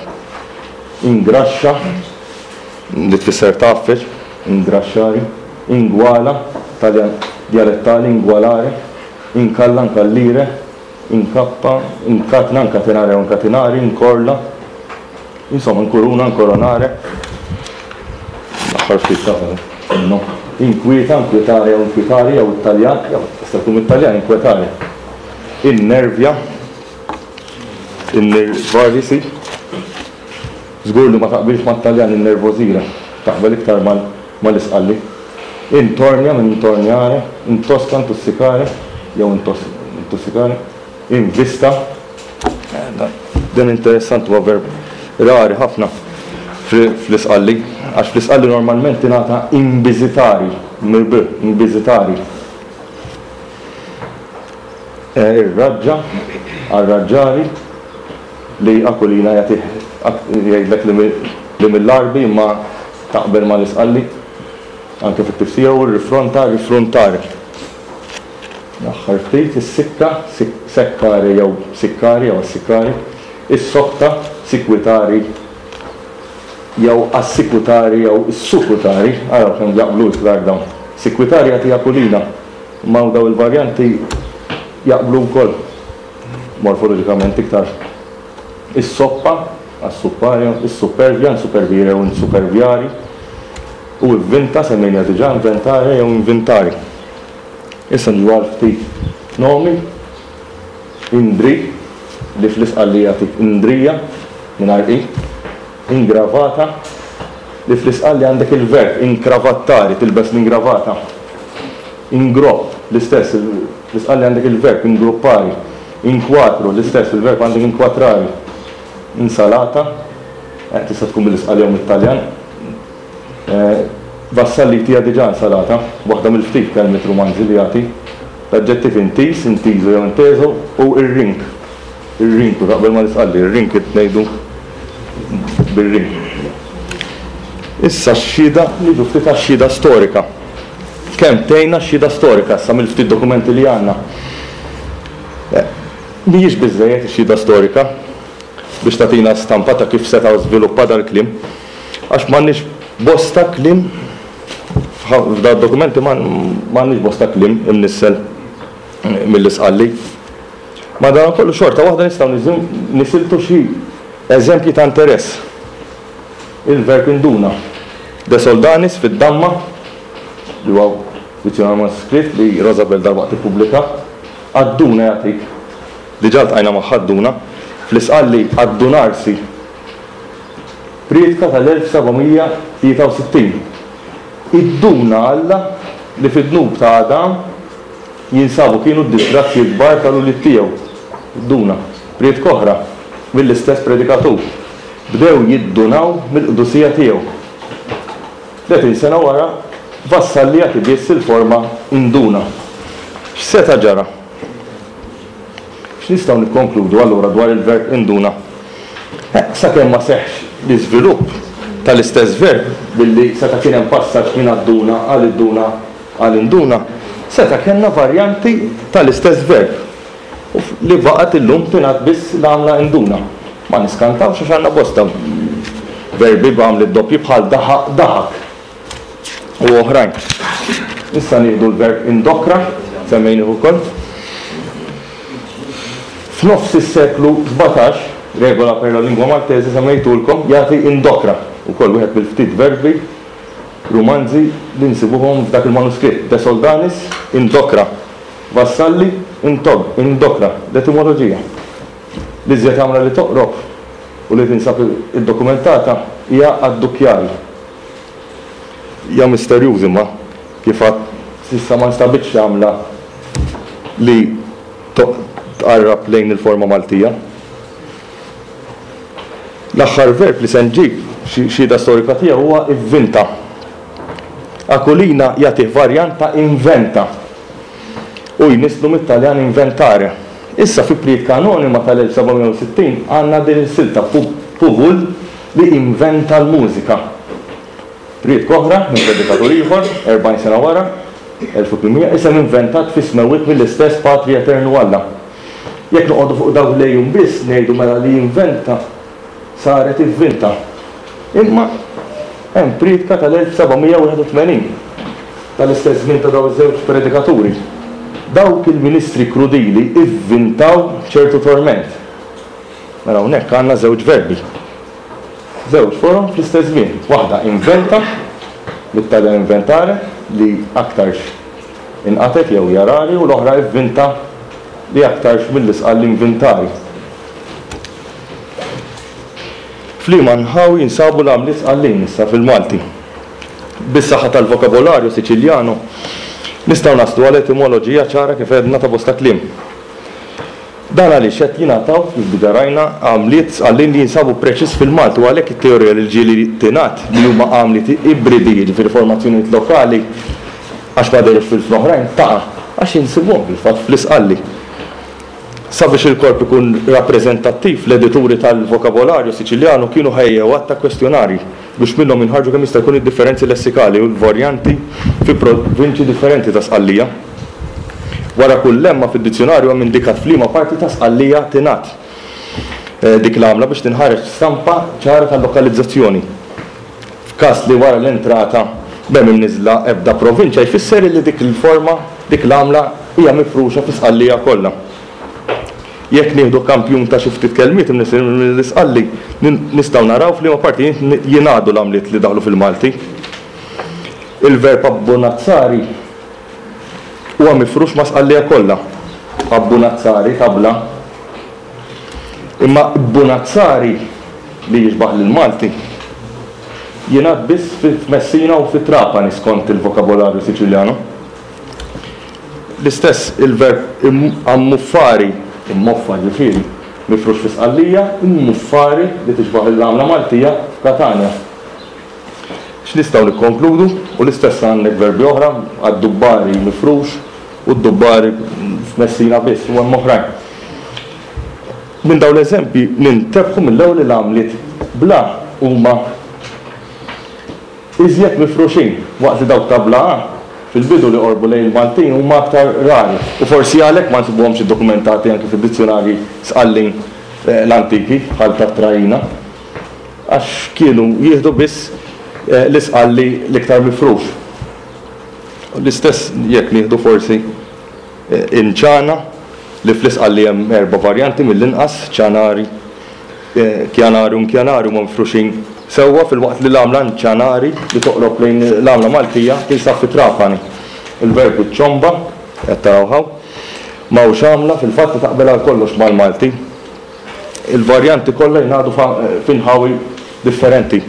S2: Ingraxxa, li tfisser tgħaffeġ, ingraxxari. Ingwala, Taljan djalettali, ingwalare, inkalla, inkallire, inkappa, inkatna, inkatenare jew inkatinari, inkorla, insomma inkuruna, inkoronare, l-aħħar ftit ta' no, inkwieta, inkwietare jew inkwitari jew it-Taljan, jew tista' tkun mit-Taljan inkwetare, innervja, innervarisi, Żgur li ma taqbilx mat-Taljan innervosire, taqbel iktar mal-Isqalli. Intornja minn intornjare, intoska, intussikare, jew intussikare, invista. Dan interessanti huwa verb rari ħafna fl-Isqalli, għax fl-Isqalli normalment tingħata imbizitari, mill-b, imbizitari. Ir-raġġa, arraġġari, li Aquilina jagħtih jgħidlek li mill-Għarbi imma taqbel mal-Isqalli anke fit-tifsira u r-rifronta, rifruntare. L-aħħar ftit, is-sikka, sekkare jew sikkari jew assikkari, is-sokta, sikwitari jew assikutari jew issukutari, araw kemm jaqblu iktar dawn. Sikwitari jagħti Aquilina, imma dawn il-varjanti jaqblu wkoll morfoloġikament iktar. Is-soppa, assuppario, is-suppervja, insupervire jew insuperviari, u ivvinta, semmejniha diġà, inventare jew invintari. Issa niġu għal ftit nomi, Indri, li fl-Isqalli jagħtik Indrija, mingħajr i, ingravata, li fl-Isqalli għandek il-verb inkravattari, tilbes l-ingravata. Ingropp, l-istess, fl-Isqalli għandek il-verb ingruppari. Inkwatru, l-istess, il-verb għandek inkwatrari. Insalata, tista' tkun mill-Isqalli jew mit-Taljan. Vassalli jtiha diġà insalata, waħda mill-ftit kelmiet rumanzi li jagħti. L-aġġettiv intiż, intiżu jew inteżu, u ir-rink. Ir-rinku, taqbel mal-Isqalli, ir-rink ngħidu bir-rink. Issa x-xhieda, niġu ftit għax-xhieda storika. Kemm tgħinna x-xhieda storika issa mill-ftit dokumenti li għandna? Mhijiex biżżejjed ix-xhieda storika biex tagħtina stampa ta' kif seta' żviluppa dal-kliem, għax m'għandniex bosta kliem f'dawn id-dokumenti m'għandniex bosta kliem imnissel mill-Isqalli. Madankollu xorta waħda nistgħu nisiltu xi eżempji ta' interess. Il-verb induna. De Soldanis fid-Damma, li huwa dizzjonarju manuskritt li Rosabel dalwaqt tippubblika, adduna jagħtik. Diġà ltqajna magħha adduna. Fl-Isqalli addunarsi. Prietka tal-1763. Idduna Alla li fid-dnub ta' Adam jinsabu kienu d-disgrazzji l-kbar tal-ulied tiegħu. Idduna. Prietka oħra, mill-istess predikatur. Bdew jiddunaw mill-qdusija tiegħu. 30 sena wara, Vassalli jagħti biss il-forma induna. X'seta' ġara? X'nistgħu nikkonkludu allura dwar il-verb induna? Sakemm ma seħħx l-iżvilupp tal-istess verb billi seta' kien hemm passaġġ minn adduna għal idduna għal induna, seta' kellna varjanti tal-istess verb. U li baqgħet illum tingħad biss l-għamla induna. Ma niskantawx għax għandna bosta verbi b'għamliet doppji bħal daħaq daħak u oħrajn. Issa nieħdu l-verb indokra, semmejnih ukoll. F'nofs is-seklu 17, Regola per la lingua maltese semmejtulkom, jagħti indokra, ukoll wieħed mill-ftit verbi rumanzi li nsibuhom f'dak il-manuskritt, De Soldanis, indokra. Vassalli, intog, indokra, l-etimoloġija. L-iżjed għamla li toqrob u li tinsab iddokumentata hija addukkjari. Hija misterjuż imma, kif għadt, s'issa ma nstabitx għamla li tqarrab lejn il-forma Maltija. L-aħħar verb li se nġib xhieda storika tiegħu huwa ivvinta. Aquilina jagħtih varjant ta' inventa u jnisslu mit-Taljan inventare. Issa fi prietka anonima tal-1760 għandna din is-silta Puvul li inventa l-mużika. Prietka oħra minn predikatur ieħor, 40 sena wara, 1800, isem inventat fis-smewwiet mill-istess Patri Eternu Alla. Jekk noqogħdu fuq dawk l-għejun biss ngħidu mela li inventa saret ivvinta. Imma hemm prietka tal-1781, tal-istess żmien ta' dawn iż-żewġ predikaturi. Dawk il-ministri krudili ivvintaw ċertu torment. Mela hawnhekk għandna żewġ verbi. Żewġ forom fl-istess żmien. Waħda inventa, mit-Taljan inventare, li aktarx inqatgħet jew hija rari, u l-oħra ivvinta li aktarx mill-Isqal l-invintari. F'liema nħawi jinsabu l-għamliet Sqallin issa fil-Malti? Bis-saħħa tal-vokabolarju Siċiljanu nistgħu naslu għal etimoloġija ċara kif għedna ta' bosta kliem. Dan għaliex qed jingħataw, kif diġà rajna, għamliet Sqallin li jinsabu preċiż fil-Malti u għalhekk it-teorija li ġieli tingħad li huma għamliet ibridi, jiġifieri formazzjonijiet lokali, għax ma dehrux f'ilsna oħrajn, taqa' għax insibuhom fil-fatt fl-Isqalli. Sabiex il-korp ikun rappreżentattiv, l-edituri tal-Vokabolarju Siċiljanu kienu ħejjew għadd ta' kwestjonarji biex minnhom jinħarġu kemm jista' jkun id-differenzi lessikali u l-varjanti fi provinċji differenti ta' Sqallija. Wara kull lemma fid-dizzjunarju hemm indikat f'liema parti ta' Sqallija tingħad dik l-għamla biex tinħareġ stampa ċara tal-lokalizzazzjoni. F'każ li wara l-entrata m'hemm imniżżla ebda provinċja jfisser illi dik il-forma, dik l-għamla hija mifruxa fi Sqallija kollha. Jekk nieħdu kampjun ta' xi ftit kelmiet imniżżlin mill-Isqalli, nistgħu naraw f'liema partijiet jingħadu l-għamliet li daħlu fil-Malti. Il-verb abbunazzari huwa mifrux ma' Sqallija kollha. Abbunazzari, tabla. Imma bbunazzari, li jixbah lill-Malti, jingħad biss f'Messina u fi Trapani skont il-Vokabolarju Siċiljano. L-istess il-verb ammuffari, immoffa ġifieri, mifrux fi Sqallija, immuffari, li tixbah l-għamla Maltija, f'Katanja. X'nistgħu nikkonkludu? U l-istess għandek verbi oħra, addubbari mifrux u ddubbari f'Messina biss u hemm oħrajn. Minn dawn l-eżempji nintebħu mill-ewwel li l-għamliet bl-a huma iżjed mifruxin, waqt li dawk ta' bla a, fil-bidu li qorbu lejn il-Maltin huma aktar rari, u forsi għalhekk ma nsibuhomx iddokumentati anki fid-dizzjunarji Sqallin l-antiki bħal tat-Traina, għax kienu jieħdu biss l-Isqalli l-iktar mifrux. L-istess jekk nieħdu forsi inċana, li fl-Isqalli hemm erba' varjanti mill-inqas, ċanari, Kjanari u Nkjanari huma mifruxin sewwa filwaqt li l-għamla Nċanari li toqrob lejn l-għamla Maltija tinsab fi Trapani. Il-verb iċċomba, qed taraw hawn, m'hawnx għamla fil-fatt li taqbel għal kollox mal-Malti. Il-varjanti kollha jingħadu f'inħawi differenti.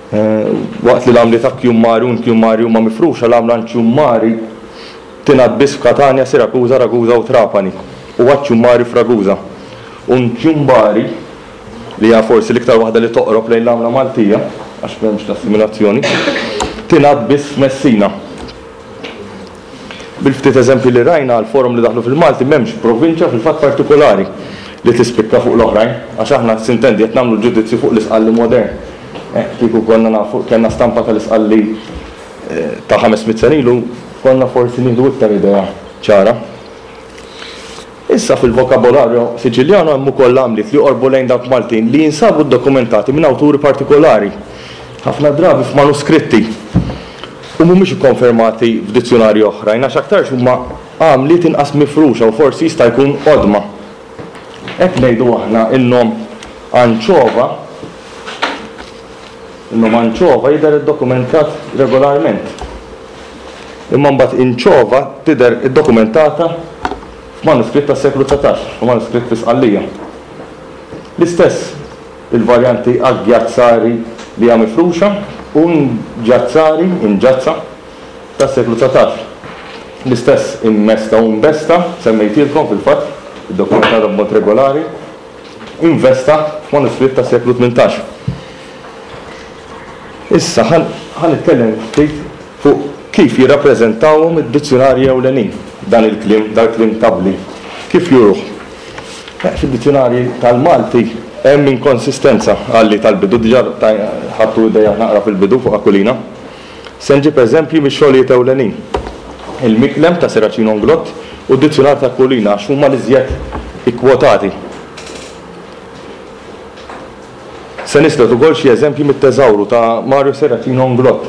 S2: Waqt li l-għamliet akkjummari u nkjummari huma mifruxa, l-għamla nċjummari Tingħad biss f'Katanja, Sirakuża, Ragusa u Trapani, u Aċċummari f'Ragusa. U Nċumbari, li hija forsi l-iktar waħda li toqrob lejn l-għamla Maltija, għax m'hemmx l-assimilazzjoni, tingħad biss f'Messina. Bil-ftit eżempji li rajna għall-forom li daħlu fil-Malti m'hemmx provinċja fil-fatt partikulari li tispikka fuq l-oħrajn, għax aħna sintendi qed nagħmlu ġudizzju fuq l-Isqalli modern. Kieku konna nafu, kellna stampa tal-Isqalli ta' 500 sena ilu konna forsi nieħdu iktar idea ċara. Issa fil-Vocabolario Siciliano hemm ukoll għamliet li joqorbu lejn dawk Maltin li jinsabu ddokumentati minn awturi partikolari, ħafna drabi f'manuskritti, u mhumiex ikkonfermati f'dizzjunarji oħrajn għax aktarx huma għamliet inqas mifruxa u forsi jista' jkun qodma. Hekk ngħidu aħna n-nom anċova In-nom anċova jidher iddokumentat regolarment. Imma mbagħad inċova tidher iddokumentata f'manuskritt tas-seklu 19, f'manuskritt fi Sqallija. L-istess il-varjanti aggjazzari li hija mifruxa u nġazzari, inġazza, tas-seklu 19. L-istess immesta u imbesta, semmejtilkom fil-fatt, iddokumentata b'mod regolari. investa f'manuskritt tas-seklu 18. Issa ħa nitkellem ftit fuq kif jirrappreżentawhom id-dizzjunarji ewlenin dan il-kliem, dal-kliem tabbli. Kif juruh? Fid-dizzjunarji tal-Malti hemm inkonsistenza għalli tal-bidu, diġà ħadtu idea naqra fil-bidu fuq Aquilina. Se nġib eżempji mix-xogħlijiet ewlenin, Il-Miklem ta' Serracino Inglott u d-Dizzjunar ta' Aquilina għax huma l-iżjed ikkwotati. Se nislet ukoll xi eżempji mit-Teżawru ta' Mario Serracino Inglott.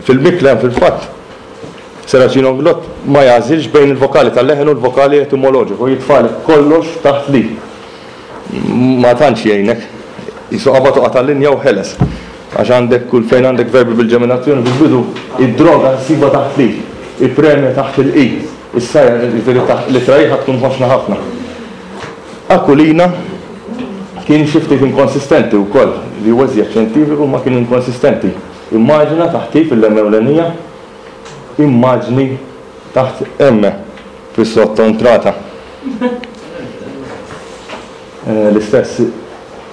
S2: Fil-Miklem, fil-fatt, Serracino Inglott ma jagħżilx bejn il-vokali tal-leħen u l-vokali etimoloġiku, jitfagħlek kollox taħt li. Ma tantx jgħinek. Qisu qabad u qata' linja u ħeles. Għax għandek kull fejn għandek verbi bil-ġeminazzjoni fil-bidu, id-droga ssibha taħt l-i, il-premja taħt il-i, is-sajr, jiġifieri taħt l-ittra i ħa tkun ħoxna ħafna. Aquilina kien xi ftit inkonsistenti wkoll, li huwa iżjed xjentifiku imma kien inkonsistenti. Immaġina taħt i fil-M ewlenija, immaġni taħt M. Fis-sottontrata. L-istess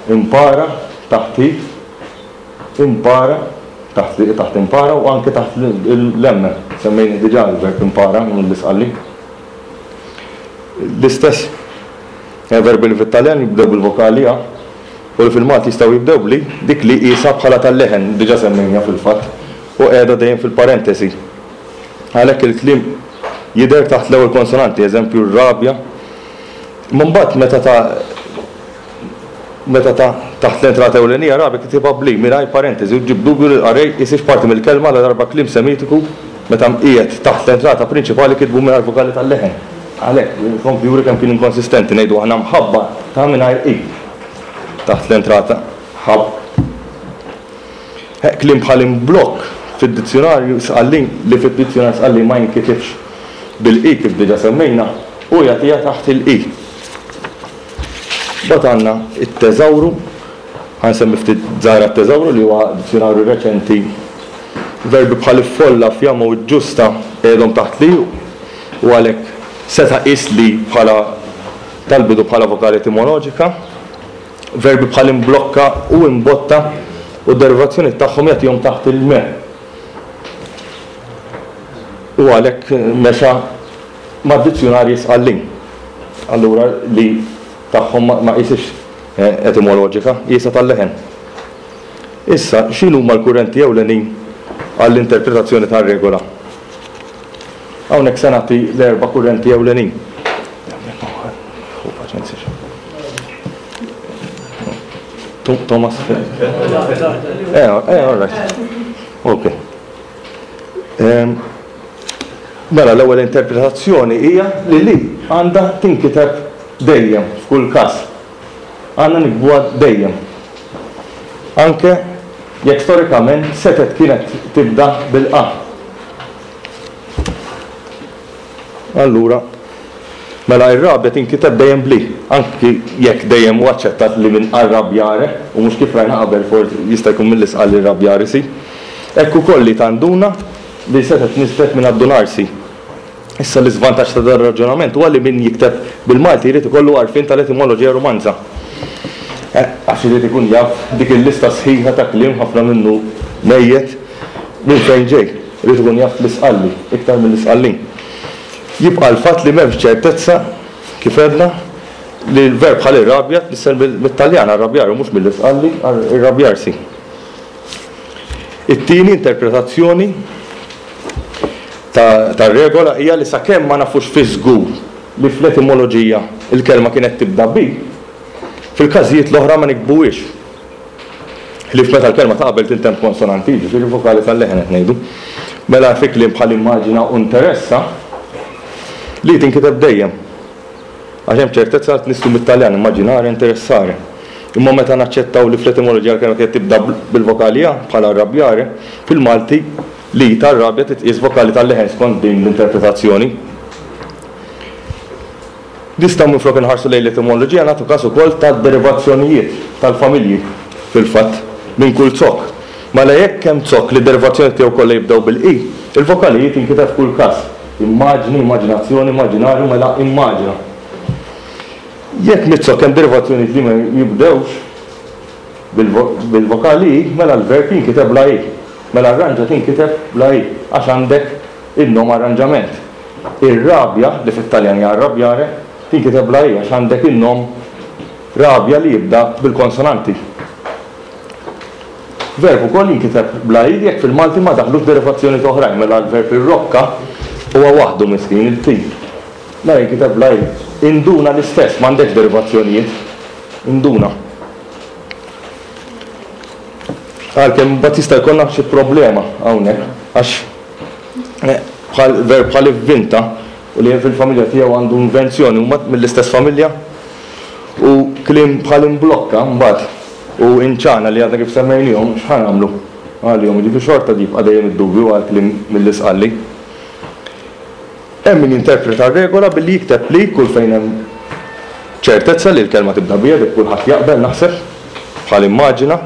S2: impara taħt i, impara taħt li taħt impara u anke taħt l-m. Semmejnih diġà l-verb impara mill-Isqalli. L-istess verbi li fit-Taljan jibdew bil-vokali a u li fil-Malti jistgħu jibdew b'li, dik li qiesha bħala tal-leħen, diġà semmejniha fil-fatt, u qiegħda dejjem fil-parentesi. Għalhekk il-kliem jidher taħt l-ewwel konsonanti, eżempju r-rabja. Imma mbagħad meta ta' meta ta' taħt l-entrata ewlenija rabja kitibha b'li mingħajr parentesi u ġġib dubju li l-qarrej qisiex parti mill-kelma ladarba kliem Semitiku meta mqiegħed taħt l-entrata prinċipali kitbu mingħajr vokali tal-leħen. Għalhekk, ikompli juri kemm kien inkonsistenti, ngħidu aħna mħabba ta' mingħajr i taħt l-entrata ħabb. Kliem bħal imblokk fid-dizzjunarju Sqallin li fid-dizzjunarju Sqallin ma jinkitibx bil-i kif diġà semmejna, hu jagħtiha taħt il-i. Mbagħad għandna t-teżawru, ħa nsemmi ftit żgħira t-teżawru li huwa dizzjunarju reċenti. Verbi bħal iffolla, fjamma u ġġusta qiegħdhom taħt li u għalhekk seta' qies li bħala tal-bidu bħala vokali etimoloġika. Verbi bħal imblokka u imbotta u d-derivazzjonijiet tagħhom jagħtihom taħt il-me. U għalhekk mexa mad-dizzjunarji Sqallin. Allura li tagħhom ma qisiex etimoloġika, qiesha tal-leħen. Issa, x'inhuma l-kurrenti ewlenin għall-interpretazzjoni tar-regola? Hawnhekk se nagħti l-erba' kurrenti ewlenin. Thomas. Eh, eh, all right. Ok. Mela l-ewwel interpretazzjoni hija li li għandha tinkiteb dejjem f'kull każ. Għandna nikbuha dejjem. Anke jekk storikament setgħet kienet tibda bil-qa. Allura, mela ir-rabja tinkiteb dejjem bl-i, anki jekk dejjem hu aċċettat li minn arrabbiare, u mhux kif rajna qabel forsi jista' jkun mill-isqal irrabbiarsi. Hekk ukoll li tanduna li setgħet nisbet minn addunarsi. Issa l-iżvantaġġ ta' dan ir-raġunament huwa li min jikteb bil-Malti jrid ikollu għarfien tal-etimoloġija Rumanza. Għax irid ikun jaf dik il-lista sħiħa ta' kliem ħafna minnu mejjet minn fejn ġej. Irid ikun jaf l-Isqalli iktar mill-Isqallin. Jibqa' l-fatt li m'hemmx ċertezza, kif għedna, li l-verb bħal irrabja tnissel mit-Taljan arrabbiare u mhux mill-Isqalli irrabbiarsi. It-tieni interpretazzjoni tar-regola hija li sakemm ma nafux fiż-żgur li fl-etimoloġija l-kelma kienet tibda bi, fil-każijiet l-oħra ma nikbuhiex. Ħlief meta l-kelma ta' qabel tintemm b'konsonanti, jiġifieri vokali tal-leħen qed ngħidu. Mela fi kliem bħal immaġina u nteressa, li tinkiteb dejjem. Għax hemm ċertezza li tnisslu mit-Taljan immaginare, interessare. Imma meta naċċettaw li fl-etimoloġija l-kelma kienet tibda bil-vokali a, bħal arrabbiare, fil-Malti li tar-rabja titqies vokali tal-leħen skont din l-interpretazzjoni. Nistgħu minflok inħarsu lejn l-etimoloġija nagħtu każ ukoll tad-derivazzjonijiet tal-familji, fil-fatt, minn kull zokk. Mela jekk hemm zokk li d-derivazzjonijiet tiegħu kollha jibdew bil-i, il-vokali i tinkiteb f'kull każ, immaġni, immaġinazzjoni, immaġinarju, mela immaġina. Jekk miz-zokk hemm derivazzjonijiet li ma jibdewx bil-vokali i, mela l-verb jinkiteb bla i. Mela arranġa tinkiteb bla i għax għandek In-nom arranġament. Ir-rabja, li fit-Taljan hija arrabbiare, tinkiteb bla i għax għandek in-nom rabia li jibda bil-konsonanti. Verb ukoll jinkiteb bla i jekk fil-Malti ma daħlux derivazzjonijiet oħrajn, mela l-verb irrokka huwa waħdu miskin, il-t. Mela jinkiteb bla i. Induna l-istess, m'għandekx derivazzjonijiet. Induna. Għalkemm imbagħad jista' jkollna xi problema hawnhekk għax Bħal verb bħal ivvinta u li fil-familja tiegħu għandu invenzjoni huma mill-istess familja u kliem bħal imblokka mbagħad u inċana li għadna kif semmejniehom x'ħa nagħmlu għalihom jiġifieri xorta jibqa' dejjem id-dubju għal kliem mill-Isqalli. Hemm min jinterpreta r-regola billi jikteb li kull fejn hemm ċertezza li l-kelma tibda biha dik kulħadd jaqbel naħseb bħal immaġina.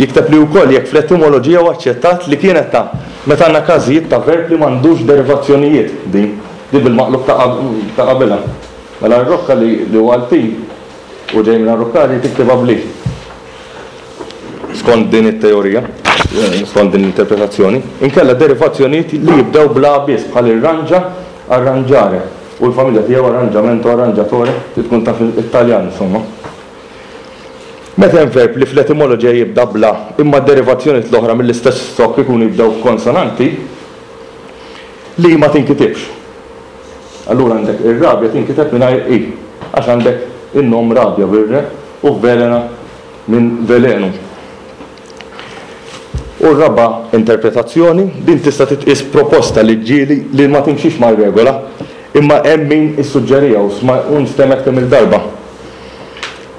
S2: Jikteb li wkoll jekk fl-etimoloġija huwa aċċettat li kienet ta' meta għandna każijiet ta' verb li m'għandux derivazzjonijiet, din. Di bil-maqlub ta' qabilha. Mela r-rokka li huwa l-T u ġej minn arrukkari tiktibha bl-I. Skont din it-teorija, skont din l-interpretazzjoni, inkella derivazzjonijiet li jibdew bl-A biss bħal irranġa, arrangiare, u l-familja tiegħu arrangiamento, arrangiatore, trid tkun taf it-Taljan insomma. Meta hemm verb li fl-etimoloġija jibda bl-A imma d-derivazzjonijiet l-oħra mill-istess stokk ikunu jibdew b'konsonanti, l-i ma tinkitibx. Allura għandek ir-rabja tinkiteb mingħajr i, għax għandek in-nom rabja bir-re u velena minn velenu. U r-raba' interpretazzjoni, din tista' titqies proposta li ġieli li ma timxix mar-regola, imma hemm min issuġġeriha u nstemgħet kemm-il darba.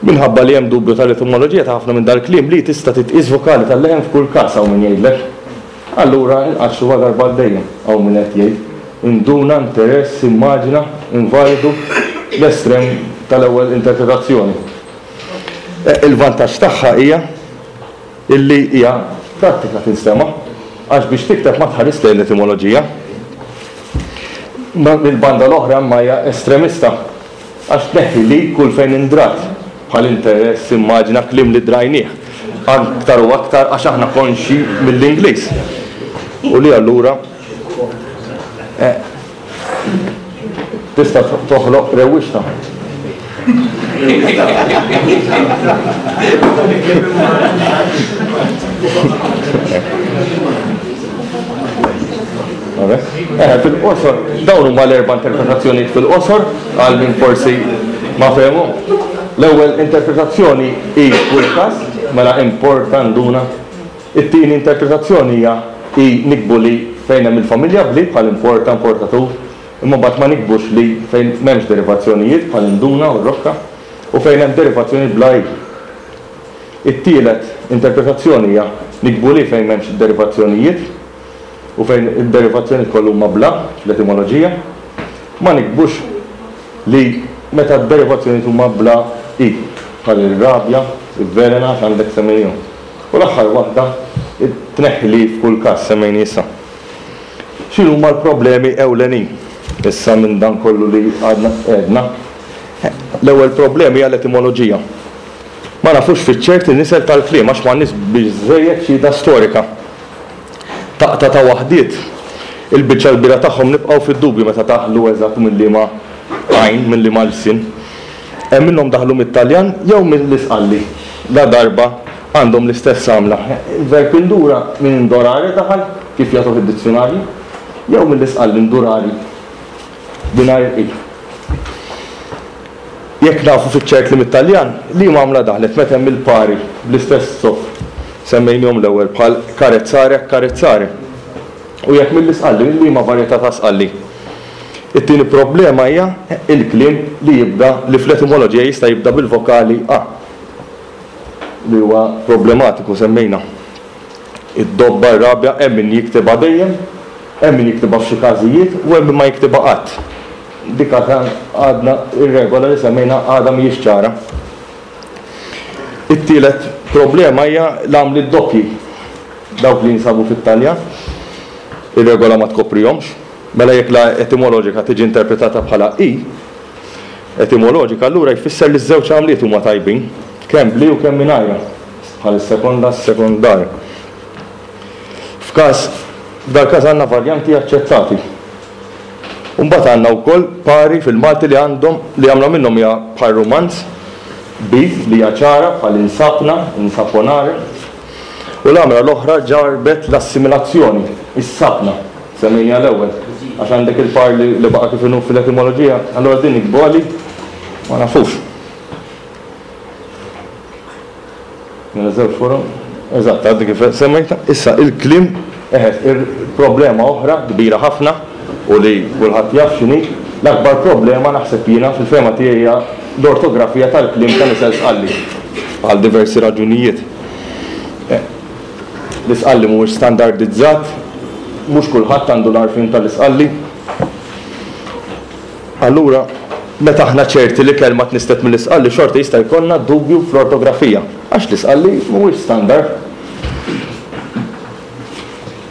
S2: Minħabba li hemm dubju tal-etimoloġija ta' ħafna minn dal-kliem li tista' titqies vokali tal-leħen f'kull każ hawn min jgħidlek. Allura inqaxxruha darba għal dejjem, hawn min qed jgħid. Induna, interess, immaġina, invalidu, l-estrem tal-ewwel interpretazzjoni. Il-vantaġġ tagħha hija illi hija prattika tinstema' għax biex tikteb ma tħarisx lejn l-etimoloġija. Mill-banda l-oħra imma hija estremista. Għax tneħħi li kull fejn indrat, bħal interess, immaġina, kliem li drajnieh, aktar u aktar għax aħna konxji mill-Ingliż. U li allura tista' toħloq rewwixta. Fil-qosor, dawn huma l-erba' interpretazzjonijiet fil-qosor għal min forsi ma fehmu. L-ewwel interpretazzjoni hi kull każ, mela importa, nduna. It-tieni interpretazzjoni hija hi nikbu li fejn hemm il-familja b'li bħal importa, importatur, imma mbagħad ma nikbux li fejn m'hemmx derivazzjonijiet bħal induna u rokka, u fejn hemm derivazzjonijiet bla i. It-tielet interpretazzjoni hija nikbu li fejn m'hemmx derivazzjonijiet. U fejn id-derivazzjonijiet kollha huma bla fl-etimoloġija, ma nikbux li meta d-derivazzjonijiet huma bla i, bħal irrabja, ivvelena għax għandek semmejnihom. U l-aħħar waħda, tneħħi li f'kull każ semmejni issa. X'inhuma l-problemi ewlenin issa minn dan kollu li għadna għedna? L-ewwel problema hija l-etimoloġija. Ma nafux fiċ-ċert in-nisel tal-kliem għax m'għandniex biżżejjed xhieda storika. Taqta' ta' waħdiet, il-biċċa l-kbira tagħhom nibqgħu fid-dubju meta daħlu eżatt minn liema għajn, minn liema lsien. Hemm minnhom daħlu mit-Taljan jew mill-Isqalli, ladarba għandhom l-istess għamla. Il-verb indura minn indorare daħal, kif jagħtuh id-dizzjunarji, jew mill-Isqalli ndurari, mingħajr i. Jekk nafu fiċ-ċert li mit-Taljan, liema għamla daħlet meta hemm il-pari bl-istess zokk semmejniehom l-ewwel bħal carezzare accarezzare? U jekk mill-Isqalli, minn liema varjetà ta' Sqalli? It-tieni problema hija il-kliem li jibda li fl-etimoloġija jista' jibda bil-vokali a li huwa problematiku semmejna. Id-dobba, ir-rabja, hemm min jiktibha dejjem, hemm min jiktibha f'xi każijiet u hemm min ma jiktibha qatt. Dik għadna, ir-regola li semmejna għadha mhijiex ċara. It-tielet problema hija l-għamliet doppji, dawk li jinsabu fit-Taljan. Ir-regola ma tkoprihomx. Mela jekk la etimoloġika tiġi interpretata bħala i etimoloġika, allura jfisser li ż-żewġ għamliet huma tajbin, kemm b'li u kemm mingħajrha, bħal is-sekonda, s-sekondar. F'każ, f'dal-każ għandna varjanti aċċettati. U mbagħad għandna wkoll pari fil-Malti li għandhom li għamla minnhom hija bħal rumanz, bi li hija ċara bħal insapna, insaponare, u l-għamla l-oħra ġarrbet l-assimilazzjoni, issapna, semmejniha l-ewwel, għax għandek il-par li li baqa' kif inhu fil-etimoloġija, allura din nikbuha li ma nafux. Mela żewġ forom. Eżatt, għadni kif semmejtha. Issa il-kliem, eħe, il-problema oħra kbira ħafna u li kulħadd jaf x'inhi, l-akbar problema naħseb jiena fil-fehma tiegħi hija l-ortografija tal-kliem ta' nisel Sqalli għal diversi raġunijiet. L-Isqalli mhuwiex standardizzat, mhux kulħadd għandu l-għarfien tal-Isqalli. Allura, meta aħna ċerti li kelma tnisslet mill-Isqalli xorta jista' jkollna dubju fl-ortografija, għax l-Isqalli mhuwiex standard.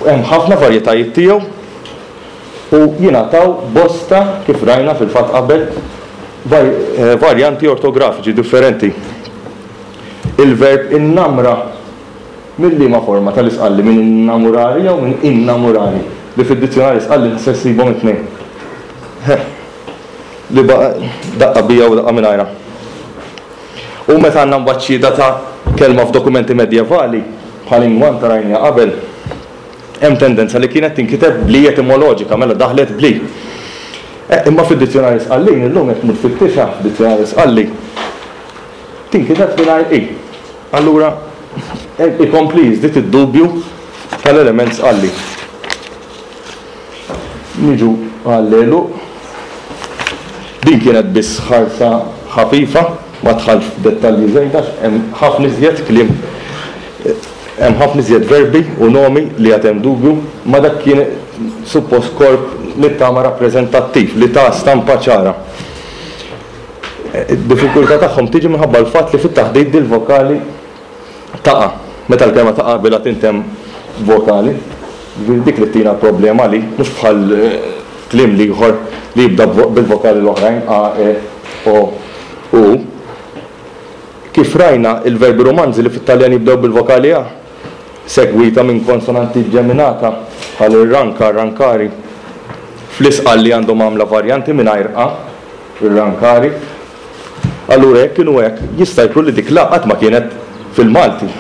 S2: Hemm ħafna varjetajiet tiegħu. U jingħataw bosta, kif rajna fil-fatt qabel, varjanti ortografiċi differenti. Il-verb innamra minn liema forma tal-Isqalli, minn innamurari jew minn innamurari, li fid-dizzjunarju Isqalli se ssibhom it-tnejn. Li daqqa biha u daqqa mingħajrha. U meta għandna mbagħad xhieda ta' kelma f'dokumenti medjevali, bħal ingwanta rajniha qabel, hemm tendenza li kienet tinkiteb bl-i etimoloġika, mela daħlet bl-i. Imma fid-dizzjunarju Sqallin illum jekk tmur tfittixha f'dizzjunarju Sqalli, tinkiteb mingħajr i. Allura ikompli jiżdied id-dubju tal-element Sqalli. Niġu għall-għeluq. Din kienet biss ħarsa ħafifa, ma dħaltx f'dettalji żejda għax hemm ħafna iżjed kliem, hemm ħafna iżjed verbi u nomi li għad hemm dubju, ma dak kien suppost korp nittama rappreżentattiv li ta stampa ċara. Id-diffikultà tagħhom tiġi minħabba l-fatt li fit-taħdit dil-vokali taqa'. Meta l-kelma taqa' qabilha tintemm vokali. Jiġifieri dik li ttina l-problema li mhux bħal kliem l-ieħor li jibda bil-vokali l-oħrajn a, e, o, u. Kif rajna, il-verbi romanzi li fit-Taljan jibdew bil-vokali a, segwita minn konsonanti ġeminata bħal irranka, arrancari, fl-Isqalli għandhom għamla varjanti mingħajr a, irrancari. Allura jekk inhu hekk, jista' jkun li dik l-a qatt ma kienet fil-Malti.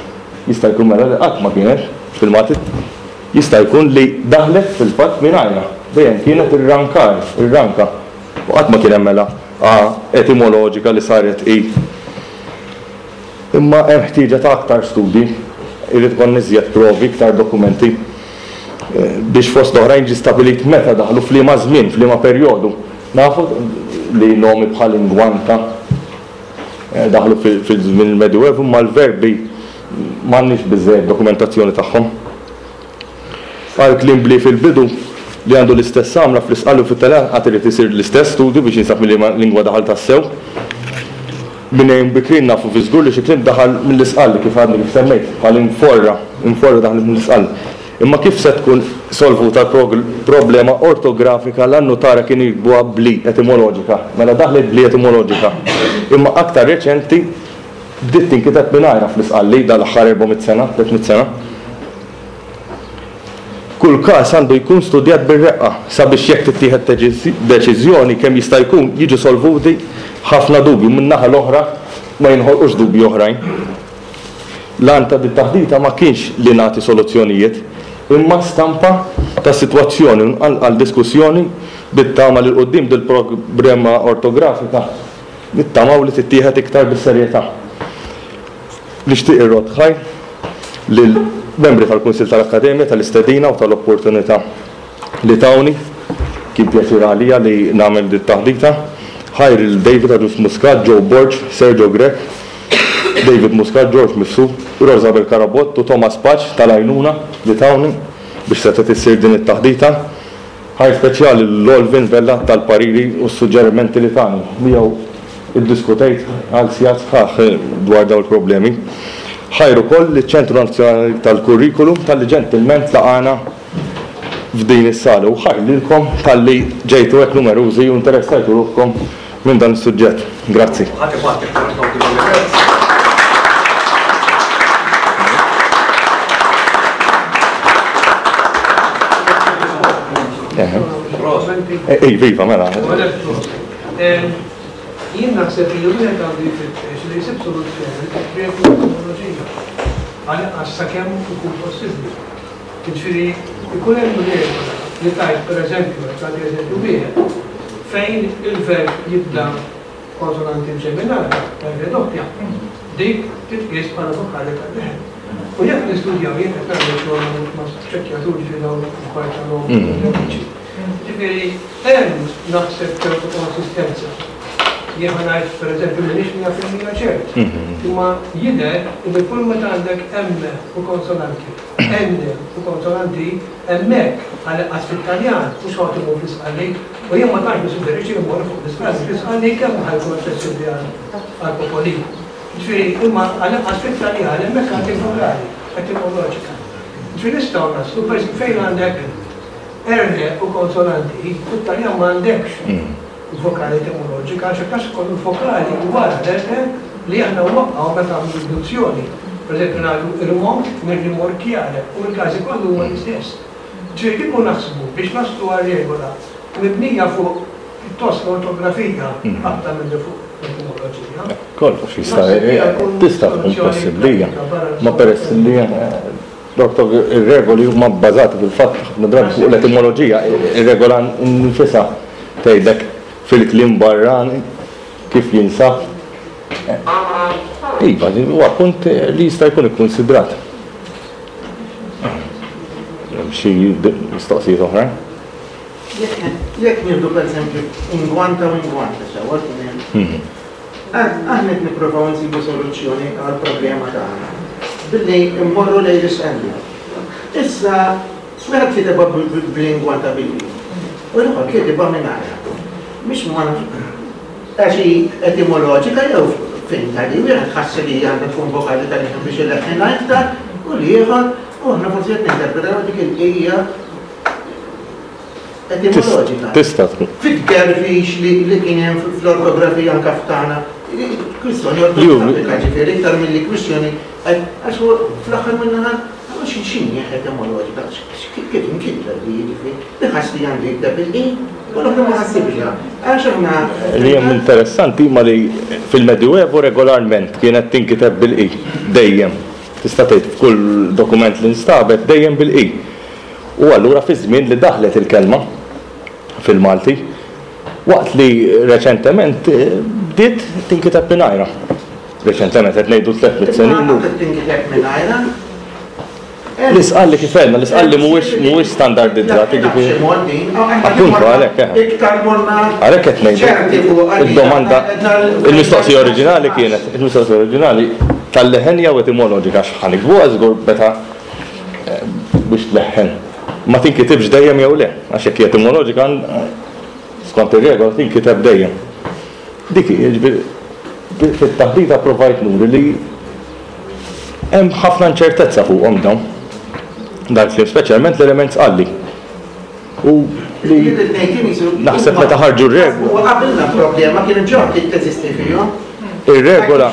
S2: Jista' jkun mela li qatt ma kienet fil-Malti. Jista' jkun li daħlet fil-fatt mingħajrha. Dejjem kienet irrankar, irranka. U qatt ma kien hemm mela a etimoloġika li saret i. Imma hemm ħtieġa ta' aktar studji. Irid ikollna iżjed provi, iktar dokumenti biex fost l-oħrajn jiġi stabbilit meta daħlu, f'liema żmien, f'liema perjodu. Nafu li nomi bħal ingwanta daħlu fil-żmien il-Medjuevu imma l-verbi m'għandniex biżżejjed dokumentazzjoni tagħhom. Għal kliem bli fil-bidu li għandu l-istess għamla fl-Isqalli u fit-Taljan għad irid isir l-istess studju biex jinsab minn liema lingwa daħal tassew. Minn għejun bikrin nafu fi żgur li xi kliem daħal mill-Isqalli kif għadni kif semmejt, bħal inforra, inforra daħlet mill-Isqalli. Imma kif se tkun solvuta l-problema ortografika l-annutara kienu jiktbuha bl-i etimoloġika, mela daħlet bl-i etimoloġika. Imma aktar reċenti bdiet tinkiteb mingħajrha fl-Isqalli dal-aħħar 400 sena, 300 sena. Kull każ għandu jkun studjat bir-reqqa sabiex jekk tittieħed deċiżjoni kemm jista' jkun jiġu solvuti ħafna dubji u min-naħa l-oħra ma jinħolqux dubji oħrajn. L-għan ta' dit-taħdita ma kienx li nagħti soluzzjonijiet, imma stampa tas-sitwazzjoni u nqanqal diskussjoni bit-tama li 'l quddiem dil-problema ortografika nittamaw li tittieħed iktar bis-serjetà. Nixtieq irrodd ħajr lill-membri tal-Kunsill tal-Akkademja tal-istedina u tal-opportunità li tawni. Kien pjaċir għalija li nagħmel dit-taħdita. Ħajr lil David Agius Muscat, Joe Borg, Sergio Grech, David Muscat, George Mifsud, Rosabel Carabott u Thomas Pace tal-għajnuna li tawni biex setgħet issir din it-taħdita. Ħajr speċjali lil Olvin Vella tal-pariri u s-suġġerimenti li tani. Miegħu iddiskutejt għal sigħat sħaħ dwar dawn il-problemi. Ħajr ukoll liċ-Ċentru Nazzjonali tal-Kurrikulum talli ġentilment laqagħna f'din is-sala u ħajr lilkom talli ġejtu hekk numerużi u interessajtu ruħkom minn dan is-suġġett. Grazzi. Ħadd ibgħat iktar
S3: applawdi
S2: Iva, iva, mela.
S1: Jien naħseb li wieħed għandu jfittex li jsib soluzzjoni li tippjega t-teknoloġija għal sakemm ikun possibbli. Jiġifieri jkun hemm regola li tgħid pereżempju, qed nagħti eżempju wieħed, fejn il-verb jibda b'konsonanti mġeminata, R doppja, dik titqies bħala vokali tal-leħen. U jekk nistudjaw, jien qed nagħmel xogħol ma' ċekkjatur ġifieri dawn l-affarijiet ta' nomi ġenetiċi. Ġifieri hemm naħseb ċertu konsistenza. Jien ħa ngħid pereżempju m'iniex 100% ċert, imma jidher li kull meta għandek M u konsonanti, N u konsonanti hemmhekk, għall-inqas fit-Taljan, mhux ħa imur fl-Isqalli, u jien ma tantx nissuġġerixxi li mmorru fuq l-Isqalli, fl-Isqalli kemm ħa jkun aċċessibbli għall-popolin. Jiġifieri, imma għall-inqas fit-Taljan hemmhekk għandek vokali, etimoloġika. Jiġifieri nistgħu naslu, pereżempju fejn għandek. R u konsonanti, fit-Taljan ma għandekx vokali etimoloġika għax għax ikollu vokali wara l-R li aħna nwaqqgħu meta nagħmlu riduzzjoni. Pereżempju ngħidu rimork minn rimorkjare u l-każi kollu huma l-istess. Ġifieri kieku naħsbu biex naslu għal regola mibnija fuq pjuttost l-ortografija aktar milli fuq l-etimoloġija.
S2: Kollox jista' tista' tkun possibbli hija. Ma peress li ir-regoli huma bbażati fil-fatt ħafna drabi fuq l-etimoloġija, ir-regola nfisha tgħidlek fil-kliem barrani kif jinsab. Iva, huwa punt li jista' jkun ikkunsidrat. Hemm xi mistoqsijiet oħrajn?
S4: Jekk nieħdu pereżempju ingwanta u ingwanta sewwa kien hemm. Aħna qed nippruvaw insibu soluzzjoni għall-problema tagħna billi mmorru lejn l-isqalli. Issa wieħed kitebha bl-ingwanta bil-i u l-ieħor kitibha mingħajrha. Mhix ma għax hi etimoloġika jew finta li wieħed ħass li għandha tkun vokali tal-leħen biex ileħħinha iktar u l-ieħor u aħna forsi qed ninterpretaw dik il-qija etimoloġika.
S2: Tista' tkun.
S4: Fit-tgerfix li kien hemm fl-ortografija anke f'tagħna, kwistjoni ortografika ġifieri iktar milli kwistjoni għax fl-aħħar min-naħa x'inhi etimoloġika, kif inkitbet di jiġifieri, li ħass li għandu jikteb bil-i u l-oħra ma ħassibx. Għax aħna.
S2: Li hemm interessanti huma li fil-Medjuevu regolarment kienet tinkiteb bil-i, dejjem. Tista' tgħid f'kull dokument li nstabet dejjem bil-i. U allura fiż-żmien li daħlet il-kelma fil-Malti, waqt li reċentement bdiet tinkiteb mingħajrha. Reċentement qed ngħidu 300 sena
S4: ilu. Imma għadha tinkiteb mingħajrha?
S2: L-Isqalli kif għedna, l-Isqalli mhuwiex mhuwiex standardizzat, jiġifieri. Appuntu għalhekk eh.
S4: Iktar morna.
S2: Għalhekk qed ngħidu. Id-domanda, il-mistoqsija oriġinali kienet, il-mistoqsija oriġinali tal-leħen jew etimoloġika għax ħa niktbuha żgur meta biex tleħħen. Ma tinkitibx dejjem jew le, għax jekk hi etimoloġika skont ir-regola tinkiteb dejjem. Dik hi, jiġifieri fit-taħdita provajt nuri li hemm ħafna inċertezza fuqhom dawn. Dal-kliem, speċjalment l-element sqalli. U li naħseb meta ħarġu r-regola.
S4: U qabilna problema kienu ġo teżisti fihom.
S2: Ir-regola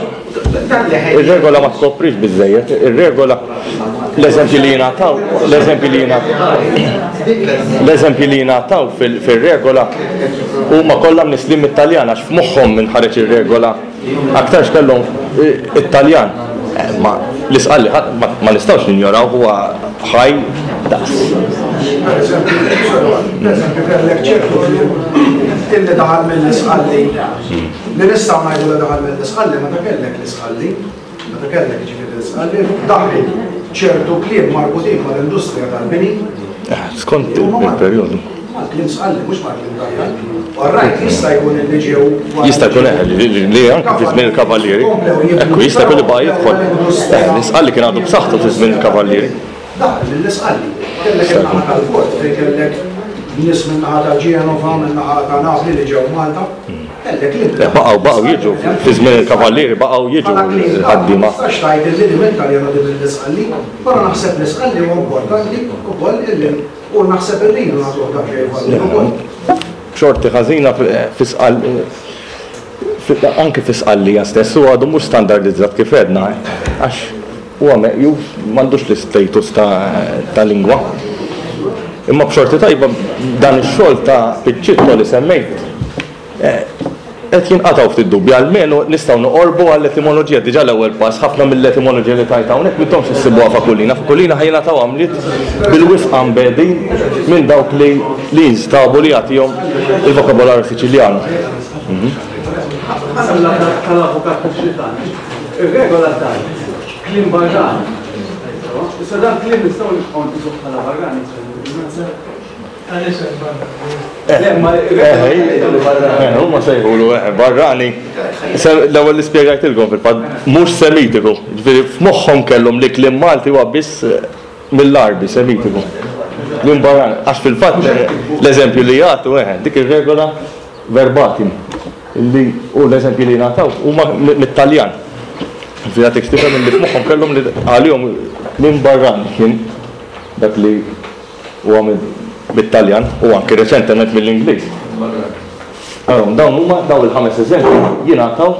S2: Ir-regola ma tkoprix biżejjed, ir-regola l-eżempji li jingħataw, l-eżempji li l-eżempji li jingħataw fir-regola huma kollha mnisslin mit-Taljan għax f'moħħhom min ħareġ ir-regola aktarx kellhom it-Taljan. Ma l-Isqalli ma nistgħux ninjorawh huwa ħaj daqs.
S5: Pereżempju kellek ċertu kliem illi daħal mill-Isqalli li nistgħu ngħidu li daħal mill-Isqalli meta kellek l-Isqalli, meta kellek jiġifieri l-Isqalli, daħlu ċertu kliem marbutin mal-industrija tal-bini.
S2: Skont il-perjodu.
S5: Mal-kliem Sqalli, mhux mal-kliem Taljan. Orrajt, jista' jkun illi ġew.
S2: Jista' jkun eh, li anke fi żmien il-Kavallieri. Ekku, jista' jkun li baqa' jidħol. Eh, l-Isqalli kien għadu b'saħħtu fi żmien il-Kavallieri.
S5: Daħal lill-Isqalli. Kellek in-naħa tal-port fejn kellek nies min-naħa ta' Ġenova, min-naħa ta' Napli li ġew Malta. Kellek
S2: li. Baqgħu baqgħu jiġu fi żmien il-Kavallieri baqgħu jiġu l-ħaddiema. Ma
S5: tistax tgħid illi din mit-Taljan u din mill-Isqalli, però naħseb l-Isqalli huwa importanti wkoll illi u naħseb irridu nagħtuh daqsxejn valur ukoll.
S2: B'xorti ħażina fi anke fi Sqallija stess huwa għadu mhux standardizzat kif għedna għax huwa meqjus m'għandux l-istatus ta' lingwa. Imma b'xorti tajba dan ix-xogħol ta' Piccitto li semmejt qed jinqatgħu ftit dubji, almenu nistgħu noqorbu għall-etimoloġija, diġà l-ewwel pass, ħafna mill-etimoloġija li tajt hawnhekk m'intomx issibuha f'Akulina, f'Akulina ħa jingħataw għamliet bil-wisq ambedin minn dawk li li jinstabu li jagħtihom il-vokabolarju Siċiljan.
S1: Tal-avukat Piccittan, ir-regola tgħid kliem barrani. Issa dan kliem nistgħu nibqgħu nqisuh bħala barrani.
S2: Huma sejħulu barrani. L-ewwel li spjegajtilkom fil-fatt mhux Semitiku. Ġifieri f'moħħhom kellhom li kliem Malti huwa biss mill-Għarbi Semitiku. Kliem barrani. Għax fil-fatt l-eżempju li jagħtu dik ir-regola verbatim li u l-eżempji li jingħataw huma mit-Taljan. Ġifieri jagħtik x'tifhem illi f'moħħhom kellhom li għalihom kliem barrani kien dak li huwa minn. mit-Taljan u anki reċentement mill-Ingliż. Araw, dawn huma dawn il-ħames eżempji jingħataw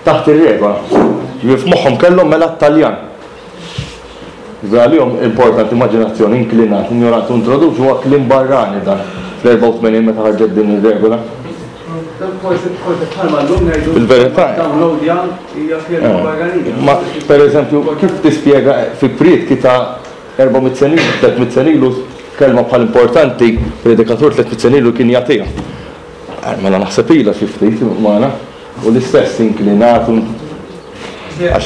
S2: taħt ir-regola. Ġifieri f'moħħhom kellhom mela t-Taljan. Ġifieri għalihom importanti immaġinazzjoni, inklinat, injorant u introduċi huwa kliem barrani dan fl-84 meta ħarġet din ir-regola. Fil-verità. Ma pereżempju kif tispjega fi prietki ta' 400 sena ilu, 300 sena ilu kelma bħal importanti predikatur 300 sena ilu kien jagħtiha. Mela naħseb ilha xi ftit magħna u l-istess inklinat u
S1: għax.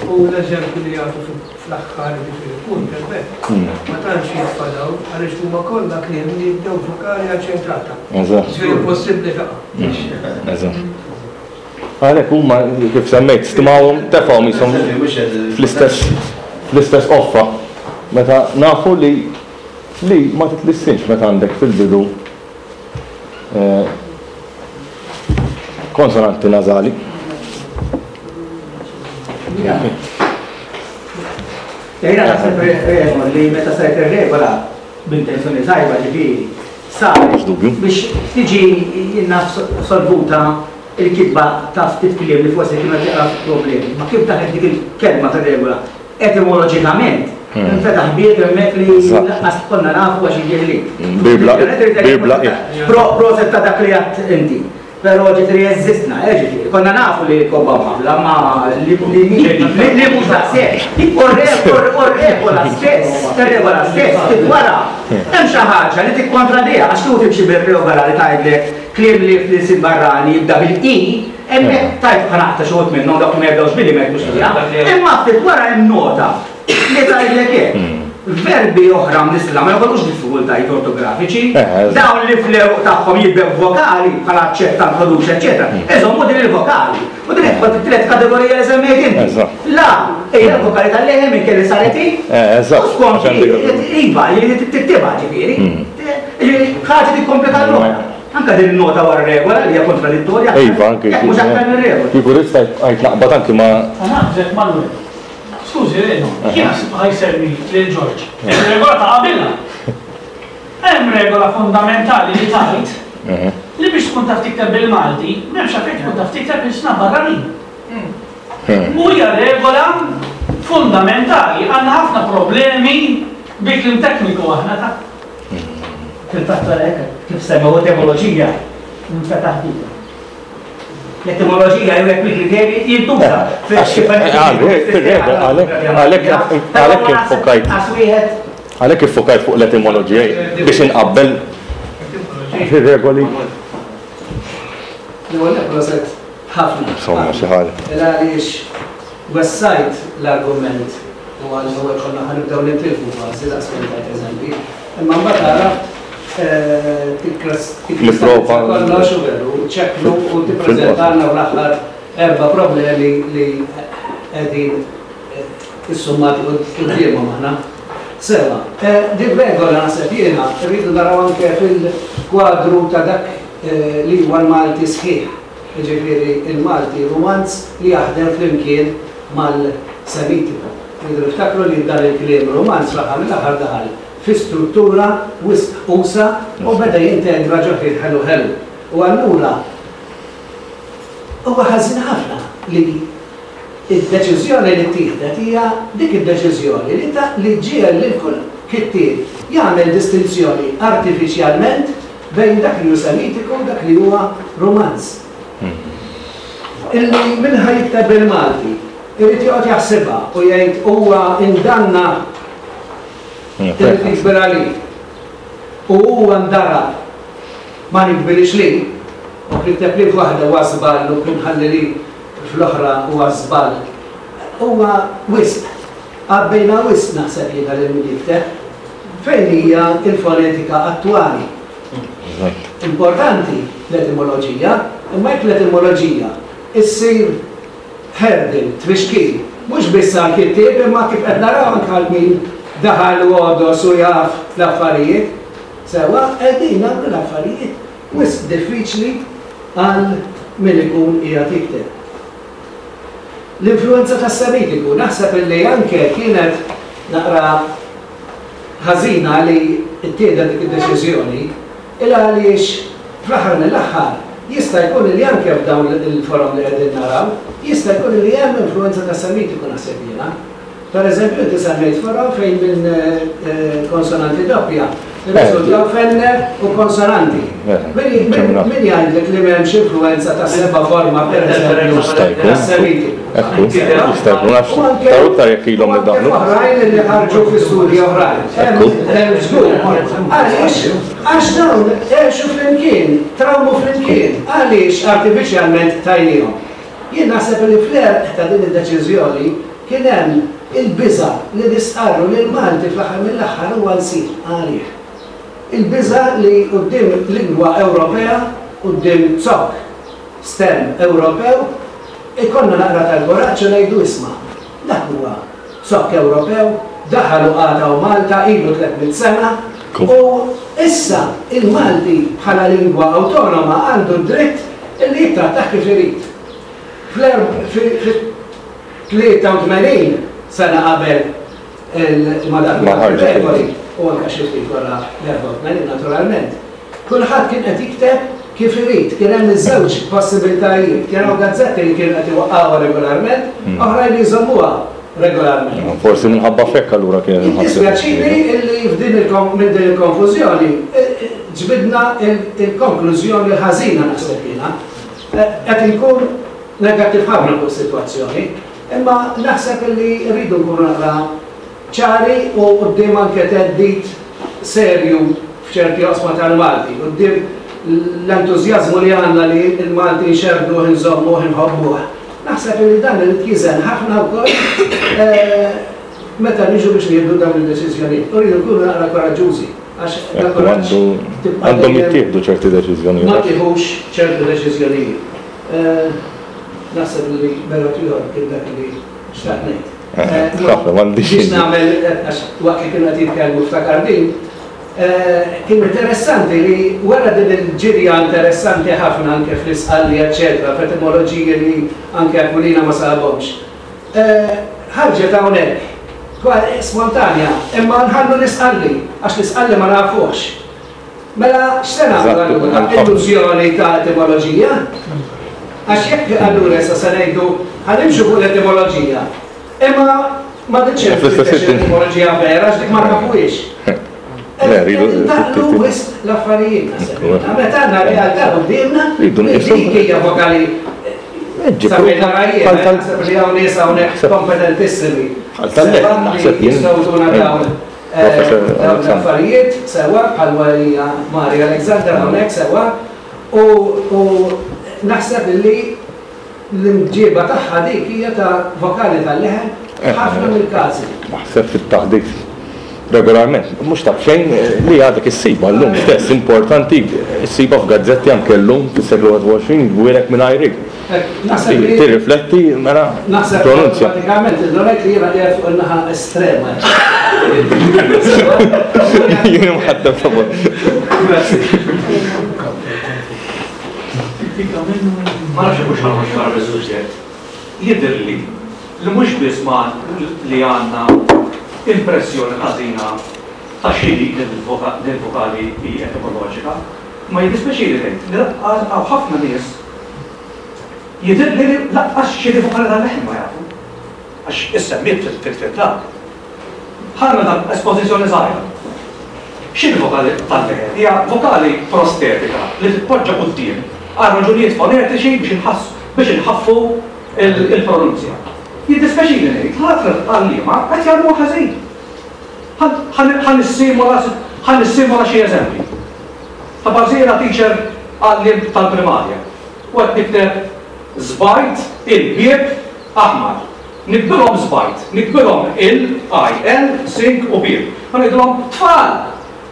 S1: U l-eżempji li jagħtu fl-aħħar jiġifieri punt hemmhekk ma tantx jitfadaw għaliex huma kollha kliem li jibdew b'vokali aċċentata.
S2: Eżatt.
S1: Jiġifieri impossibbli taqa'.
S2: Eżatt. Għalhekk huma kif semmejt stmawhom tefgħuhom qishom fl-istess fl-istess qoffa meta nafu li li ma titlissinx meta għandek fil-bidu Konsonanti nażali.
S6: Jiena naħseb regola li meta saret ir-regola b'intenzjoni tajba ġifieri saret biex tiġi naf solvuta il-kitba ta' ftit kliem li forsi kienu qed jaqgħu problemi. Ma kif daħlet dik il-kelma fir-regola Etimoloġikament, infetaħ bieb hemmhekk li lanqas konna nafu għax jiġri.
S2: Bibla, bibla.
S6: Proset ta' dak li għedt inti. Però ġifieri jeżistna, eh ġifieri. Konna nafu li kobba mħabbla, ma li li mhux daqshekk. U r-regola stess, ir-regola stess, ftit wara, hemm xi ħaġa li tikkontradiha għax kieku timxi bir-regola li tgħidlek kliem li fl-ilsien barrani jibda bil-i, Hemmhekk tajt bħala aqta' xi wħud minnhom dawk li ma jibdewx billi ma jidħlux fiha. Imma ftit wara hemm nota li tgħidlek hekk. Verbi oħra mnissla ma joħolqux diffikultajiet ortografiċi. Dawn li fl-għeruq tagħhom jibdew b'vokali, bħal aċċetta, introduċi, eċċetera, iżommu din il-vokali. U din tidħol fit-tielet kategorija li semmejt inti. La hija l-vokali tal-leħen minkejja li saret i. U skont iva, li tiktibha ġifieri. Ġifieri ħaġa tikkomplika l-oħra. Anke din in-nota wara regola li hija kontradittorja.
S2: Iva, anke.
S6: Jekk mhux aktar minn regola.
S2: Kieku ridt bqajt naqbad anki ma'.
S7: U naħseb Manuel, skużi Reno, kien ħa jsemmi lil George. Ir-regola ta' qabilha. Hemm regola fundamentali li tgħid li biex tkun taf tikteb bil-Malti m'hemmx għalfejn tkun taf tikteb ilsna barranin. U hija regola fundamentali. Għandna ħafna problemi bi kliem tekniku aħna ta'.
S6: Fil-fatt għalhekk, kif semmew etimoloġija, nfetaħ bieb. L-etimoloġija jew jekk il-kriterji jintuża.
S2: Għalhekk iffokajt. Għalhekk iffokajt fuq l-etimoloġija biex inqabbel ir-regoli.
S8: L-ewwel nett proset ħafna.
S2: Insomma, xi ħaġa.
S8: Għaliex wessajt l-argument u għall-ewwel konna ħa nibdew nintilfu kważi daqs kemm tajt eżempji. Imma mbagħad għaraft tikkristallizza kollox u veru, ċekknu u tippreżentalna l-aħħar erba' problemi li qegħdin issummati quddiemhom aħna. Sewwa, din regola naħseb jiena rridu naraw anke fil-kwadru ta' dak li huwa l-Malti sħiħ. jiġifieri l-Malti Rumanz li jaħdem flimkien mal-Semitiku. Irridu niftakru li dan il-kliem Rumanz fl-aħħar mill-aħħar daħal fi struttura wisq usa' u beda jintegra ġo fih ħelu ħelu. U allura huwa ħażin ħafna li d-deċiżjoni li ttieħdet hija dik id-deċiżjoni li ta' li ġġiegħel lil kull kittieb jagħmel distinzjoni artifiċjalment bejn dak li hu Semitiku u dak li huwa Rumanz. Illi min ħa jikteb bil-Malti irid joqgħod jaħsibha u jgħid huwa indanna irid jikber għalih u huwa ndarab ma nikbirix li u nikteb li f'waħda huwa żball u nħalli li fl-oħra huwa żball. Huwa wisq. Għabbejna wisq naħseb jiena lil min jikteb. Fejn hija l-fonetika attwali? Importanti l-etimoloġija, imma jekk l-etimoloġija ssir hurdle, tfixkil, mhux biss għall-kittieb imma kif qed naraw anke għal min daħal u għodos u jaf l-affarijiet, sewwa, qegħdin nagħmlu l-affarijiet wisq diffiċli għal min ikun qiegħed jikteb. L-influwenza tas-Semitiku naħseb illi anke kienet naqra. ħażina li ttieħdet dik id-deċiżjoni il għaliex fl-aħħar mill-aħħar jista' jkun li anke f'dawn il-forom li qegħdin naraw jista' jkun li hemm influwenza tas-Semitiku naħseb jiena. Per eżempju, inti semmejt forom fejn minn konsonanti doppja rriżultaw f'enne u konsonanti. Min jgħidlek li m'hemmx influwenza ta' seba' forma per eżempju tas-Semitiku?
S2: Ekku, jista' jkun għax taru iktar jekk ilhom li daħlu.
S8: Oħrajn li ħarġu fi studji oħrajn. Hemm żgur. Għaliex? Għax dawn għexu flimkien, trawmu flimkien. Għaliex artifiċjalment tajniehom? Jien naħseb li fl-għerq ta' din id-deċiżjoni kien hemm il-biża' li nistqarru li l-Malti fl-aħħar mill-aħħar huwa lsir għalih. Il-biża' li quddiem lingwa Ewropea, quddiem zokk stem Ewropew, ikollna naqra tal-kuraġġ u ngħidu isma', dak huwa zokk Ewropew, daħal u qagħad hawn Malta ilu 300 sena u issa il-Malti bħala lingwa awtonoma għandu d-dritt illi jittrattah kif irid. Fl-83 sena qabel ma daħlu dawk ir-regoli, u anke xi ftit wara l-84 naturalment, kulħadd kien qed jikteb kif irid, kien hemm iż-żewġ possibiltajiet, kien hawn gazzetti li kienu qed iwaqqgħuha regolarment, oħrajn li jżommuha regolarment.
S2: Forsi minħabba f'hekk allura kienet inħassret.
S8: Jiddispjaċini illi f'din minn din il-konfużjoni ġbidna l-konklużjoni l-ħażina naħseb jiena. Qed inkun negattiv ħafna fuq is-sitwazzjoni, imma naħseb illi rridu nkunu naqra ċari u quddiem anke theddid serju f'ċerti oqsma tal-Malti, quddiem l-entużjażmu li għandna li l-Malti nxerrduh, inżommuh, inħobbuh. Naħseb illi dan irid jiżen ħafna wkoll meta niġu biex nieħdu dawn id-deċiżjonijiet. U rridu nkunu naqra koraġġużi. Għax bla kuraġġ tibqa'
S2: Għandhom jittieħdu ċerti deċiżjonijiet.
S8: Ma tieħux ċertu deċiżjonijiet. Naħseb li berot ieħor kien dak li xtaqt ngħid.
S2: Ħafna m'għandix.
S8: Biex nagħmel għax waqt li kienu qed jitkellmu ftakar din, kien interessanti li wara din il-ġirja interessanti ħafna anke fl-Isqalli eċċetera, f'etimoloġiji li anke Aquilina ma sabhomx. Ħarġet hawnhekk, spontanja, imma nħallu l-Isqalli, għax l-Isqalli ma nafuhx. Mela x'se nagħmlu allura? Illużjoni ta' etimoloġija? Għax jekk allura issa se ngħidu ħa nimxu fuq l-etimoloġija, imma ma titx etimoloġija vera għax dik ma nafuhiex. Ntaqqlu wisq l-affarijiet naħseb. Meta għandna realtà quddiemna li dik hija vokali Sabina rajjien, naħseb li hawn nies hawnhekk kompetentissimi.
S2: Naħseb
S8: jien. Jistgħu tuna dawn dawn l-affarijiet sewwa bħal hija Maria Alexander hawnhekk sewwa u naħseb li l-imġiba tagħha dik hija ta' vokali tal-leħen f'ħafna mill-każi.
S2: Naħseb fit-taħdit regolarment, mhux ta' b'xejn li għadek issibha llum stess, importanti ssibha f'gazzetti anke llum fis-seklu 21 jgwielek mingħajr i.
S8: Naħseb li
S2: Tirrifletti mela
S8: Naħseb
S2: pronunzja.
S8: Pratikament indunajt li jiena qiegħed fuq in-naħa estrema.
S2: Jien imħaddem favur.
S8: Grazzi.
S3: Ma nafx hux ħa noħroġ barra mis-suġġett. Jidhirli li mhux biss ma li għandna impressjoni ħażina ta' x'inhi l-vokali i etimoloġika, imma jiddispjaċini ngħid li lanqas hawn ħafna nies jidhirli li lanqas x'inhi vokali tal-leħen ma jafu. Għax issemmiet fil-dak. Ħa nagħmel espożizzjoni żgħira. X'inhi vokali tal-leħen? Hija vokali prostetika li titpoġġa quddiem għal raġunijiet fonetiċi biex inħassu biex inħaffu l-pronunzja. Jiddispjaċini ngħid li ħafna għalliema qed jagħmluha ħażin. Ħa nissimula ħa nissimula xi eżempji. Ta' Barżiela teacher għalliem tal-primarja u qed nikteb żbajt il-bieb aħmar. Niktbilhom żbajt, niktbilhom il, I, L, sink u bieb. U ngħidilhom, tfal!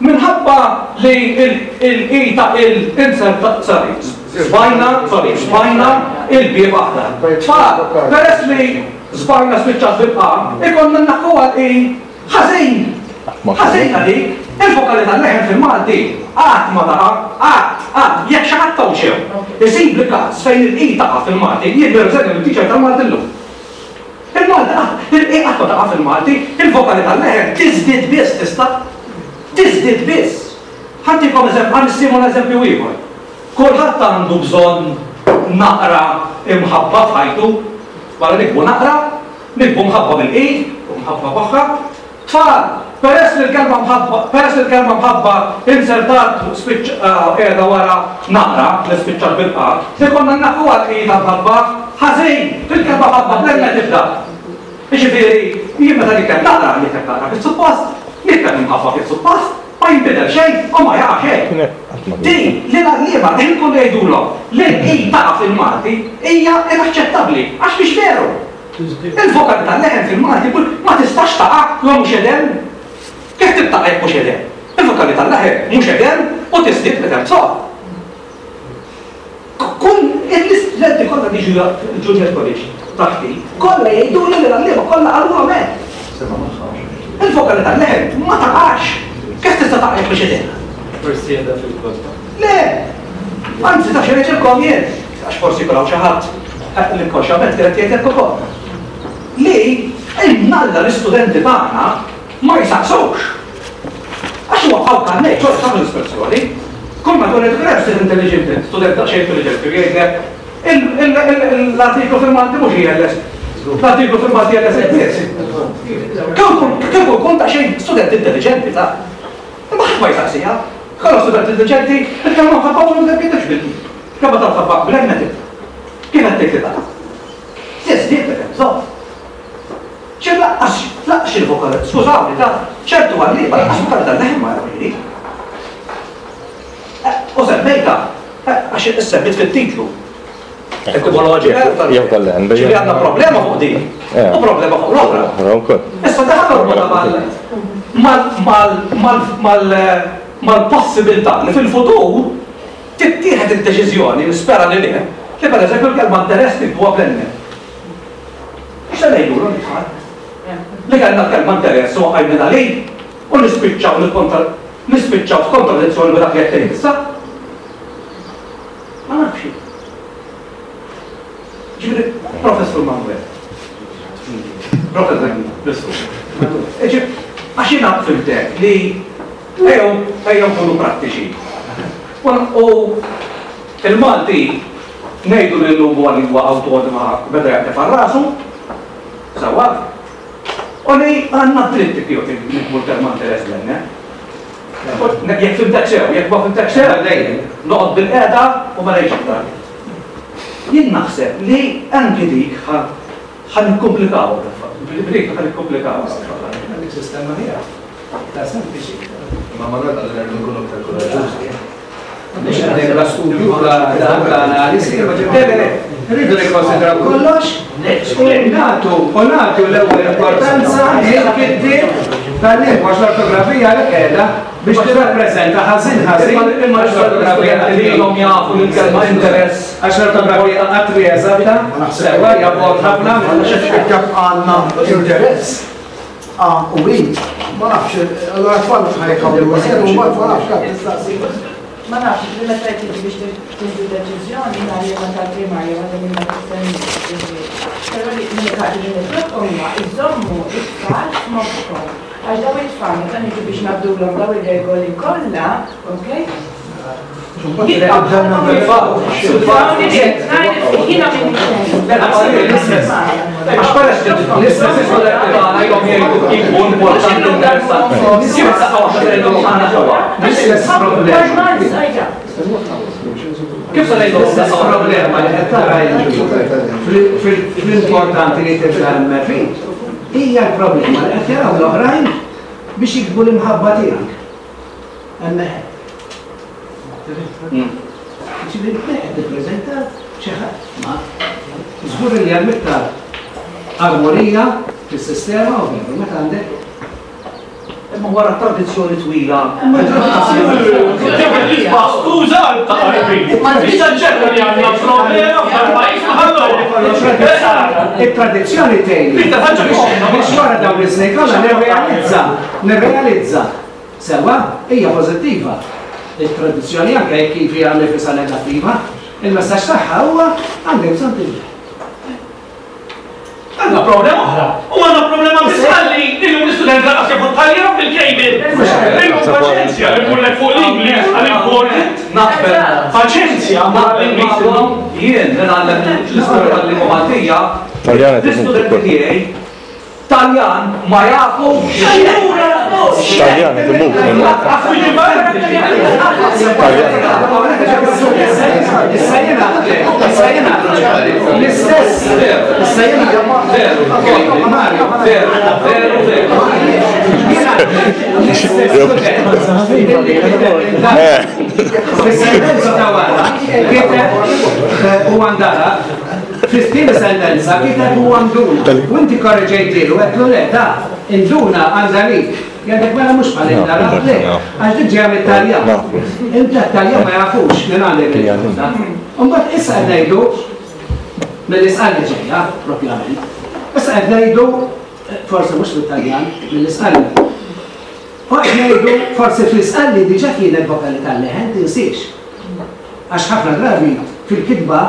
S3: Minħabba li il-i ta' il inserta, sorry, żbajna, sorry, żbajna il-bieb aħdar. Tfal, peress li żbajna spiċċat bil-a, ikollna nnaħħuha l-i Ħażin! Ħażina dik! Il-vokali tal-leħen fil-Malti qatt ma taqa', qatt, qatt. Jekk xi ħadd hawn xew isibli każ fejn il-i taqa' fil-Malti, jien nirriżenja minn teacher tal-Malti llum. Il-Malti qatt, il-i qatt ma taqa' fil-Malti, il-vokali tal-leħen tiżdied biss tista'. Tiżdied biss. Ħa ntikom eżempju, ħa nissimula eżempju ieħor. Kulħadd għandu bżonn naqra imħabba f'ħajtu. Wara niktbu naqra, niktbu mħabba bil-i u mħabba b'aħħa. Tfal, peress li l-kelma mħabba, peress li l-kelma mħabba inzertat spiċċ qiegħda wara naqra li spiċċat bil-qa, ikollna nnaħħuha l-i ta' mħabba. Ħażin! Il-kelma mħabba bl-m tibda. Jiġifieri, jien meta nikteb naqra, nikteb naqra kif suppost, nikteb imħabba kif suppost, ma jinbidel xejn u ma jaqa' xejn. Din li l-għalliema l-ħin kollu jgħidulhom li l-i taqa' fil-Malti hija inaċċettabbli għax mhix veru. Il-vokali tal-leħen fil-Malti ma tistax taqa' la mhux edem. Kif tibtaqa' jekk mhux edem? Il-vokali tal-leħen mhux edem u tiżdied meta hemm bżonn. Kull l-istudenti kollha li jiġu l-Junior College taħti, kollha jgħiduli li l-għalliema kollha qalulhom hekk. Il-vokali tal-leħen ma taqax. Kif tista' taqa' jekk mhux edem?
S9: Forsi qiegħda fil-kotba.
S3: Le! Anzi, taf xi ngħidilkom jien, għax forsi jkun hawn xi ħadd l-inkonxjament kien qed jgħid hekk ukoll. Li imnalla l-istudenti tagħna ma jsaqsux. Għax huwa bħal kannejt, ċoħ tagħmel l-espressjoni. Kull ma jkun qed student intelligenti, student daqsxejn intelligenti, jgħidlek l-artiklu fil-Malti mhux ILS. L-artiklu fil-Malti ILS biss. Kieku kun daqsxejn student intelligenti ta' Imma ħadd ma jsaqsiha. Kollha student intelligenti, il-kelma mħabba u ma tibdilx bil Kelma ta' mħabba bl-M tibda. Kif qed tgħid li taqa'? Tiżdied meta hemm bżonn. Ċer laqqas laqqas il-vokal, skużawni ta' ċertu għalliema laqqas vokali tal-leħen ma jagħmlu U semmejta, għax issemmit fit-titlu. Etimoloġika
S2: jew tal-leħen.
S3: Ġifieri għandna problema fuq din u problema fuq l-oħra. Issa daħal norbotha mal-possibilità li fil-futur tittieħed id-deċiżjoni, nispera li le, li pereżempju l-kelma interess niktuha bl-N. X'se ngħidulhom it-tfal? Li kellna l-kelma interess u għajnina li u nispiċċaw nispiċċaw f'kontradizzjoni ma' dak li qed tgħid issa. Ma nafx jien. Ġifieri, Professur Manuel. Professur Professur. Għax jiena fimtek li ejjew ejjew nkunu prattiċi. U il-Malti ngħidu li llum huwa lingwa awtonoma beda jaqdef għal rasu, sewwa, u li għandna dritt kif nikbu l-kelma interess l Jekk fimtek sew, jekk ma fimtek sew, noqgħod bilqiegħda u ma ngħidx iktar. Jien naħseb li anki dik ħa nikkumplikawha dik ħa nikkumplikawha.
S8: Għandek sistema ħjar, iktar sempliċi.
S9: Imma Manuel qal li rridu nkunu iktar kuraġġużi.
S8: Mhux għandek la studju, la dan, la analisi, rridu nikkonsidraw kollox u nagħtu u nagħtu l-ewwel importanza lil-kittieb tal-lingwa għax l-ortografija għalhekk qiegħda biex tirrappreżenta ħażin ħażin
S3: Imma l-ortografija li ilhom jafu li l-kelma interess.
S8: Għax l-ortografija qatt mhi eżatta, sewwa hija bogħod ħafna minn.
S5: Jekk għandna interess A u I, ma nafx, allura t-tfal mhux ħa jħawlu iżjed u mbagħad ma nafx għad tistaqsi.
S10: Ma nafx, li meta tiġi biex tieħdu deċiżjoni nhar li tal-primarja waħda minn dak is-snin. Però li l-unika ħaġa li nitlobkom huwa iżommu it-tfal f'moħħkom. Għax daw it-tfal meta niġu biex ngħaddulhom daw ir-regoli kollha, okay?
S8: L-istess problema li qed tara fl-importanti li tibda hemmhekk hija l-problema li qed jaraw l-oħrajn biex jiktbu l-imħabba tiegħek. Hemmhekk. Ġifieri qed tippreżenta xi ħadd ma żgur li hemm iktar armonija fis-sistema u veru meta għandek
S3: Imma wara tradizzjoni twila.
S7: Skuża ta' qalbi. Issa ċerta li għandna problema f'dal-pajjiż
S8: Il-tradizzjoni tgħin. Biex wara dawn is-snin kollha nirrealizza, nirrealizza Sewwa, hija pożittiva. Il-tradizzjoni anke jekk kif hija nifisha negattiva, il-messaġġ tagħha huwa għandek bżonn tinbidel.
S7: Għandna problema oħra. U għandna problema biss ħalli illum l-istudent lanqas jafu t-taljan bil-cable.
S3: Naqbel magħkom, jien li ngħallem l-istorja tal-lingwa Maltija, l-istudenti tiegħi Taljan ma jafux.
S2: Taljan qed imut minn Malta.
S8: Issa jiena, issa jiena, l-istess, issa jiena,
S3: Veru, veru, veru, veru.
S8: Fis-sentenza ta' wara, kiteb u għandara, fit-tieni sentenza kiteb u għanduna. U inti korreġejtilu, għedtlu le, ta' induna għandha lik. Jgħidlek mela mhux bħal indara, le, għax dik ġejja mit-Taljan. Inta t-Taljan ma jafux minn għandek il-induna. Imbagħad issa qed ngħidu mill-Isqalli ġejja, propjament. Issa qed ngħidu forsi mhux mit-Taljan, mill-Isqalli. U qed ngħidu forsi fl-Isqalli diġà kienet vokali tal-leħen, tinsiex. Għax ħafna drabi fil-kitba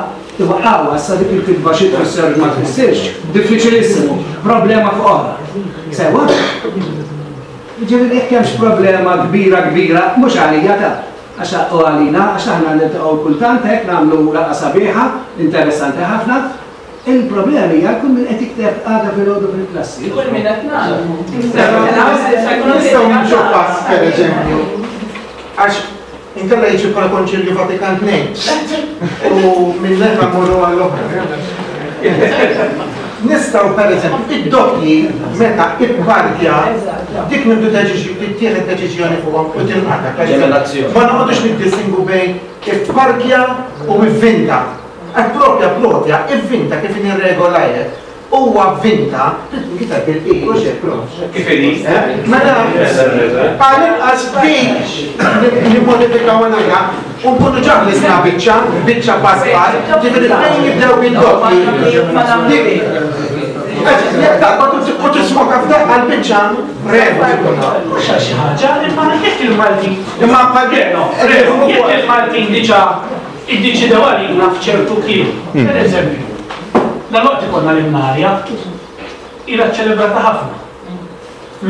S8: iwaqqgħuha, issa dik il-kitba xi tfisser ma tfissirx, diffiċilissimu, problema fuq oħra. Sewwa? Jiġifieri jekk hemmx problema kbira kbira, mhux għalija ta' għax u għalina, għax aħna niltaqgħu kultant hekk nagħmlu laqgħa sabiħa, interessanti ħafna, Il-problema hija kull min qed jikteb għada filgħodu fil-klassi.
S10: Kull min qed nagħmlu.
S4: Nistgħu nimxu pass pereżempju. Għax inkella jiġi bħala Konċilju Vatikan II. U minn naħa mmorru għall-oħra. Nistgħu pereżempju id-doppji meta ipparkja dik nibdu tittieħed deċiżjoni fuqhom u tinqata'. Ma noqogħdux niddistingu bejn ipparkja u ivvinta. Għax propja propja, ivvinta kif inhi r-regola hekk, huwa vvinta, trid tinkiteb bil-i, hux hekk prof?
S3: Kif inhi?
S4: Mela, għall-inqas dik nimmodifikawha naqra u nkunu ġa ħlisna biċċa, biċċa pass pass, ġifieri fejn jibdew bid-doppji, dik jekk taqbad u tismoka f'daqqa l-biċċa regola jkun.
S7: Mhux għal xi ħaġa, imma jekk il-Maltin.
S4: Imma bħal
S7: Jekk il-Maltin diġà Iddeċidew għalina f'ċertu kliem. Per eżempju, dalwaqt ikollna l-Imnarja, ilha ċċelebrata ħafna.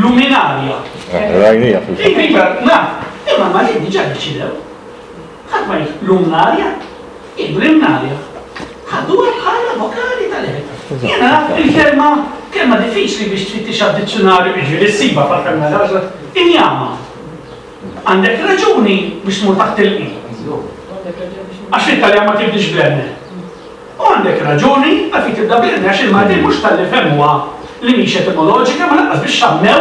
S7: Luminarja.
S2: Rajnija fil-fatt.
S7: Iva, iva, naf. Imma l-Maltin diġà ddeċidew. Ħadd ma jgħid lumnarja, jgħidu l-Imnarja. Ħaduha bħala vokali tal-eħe. Jiena naf il-kelma, kelma diffiċli biex tfittixha f'dizzjunarju, jiġifieri ssibha fl-aħħar mill-aħħar, injama. Għandek raġuni biex tmur taħt il-i. Għax fit-Taljan ma tibdiex bl-N. U għandek raġuni għalfejn tibda bl-N għax il-Maltin mhux talli fehmuha li mhix etimoloġika ma lanqas biex xammew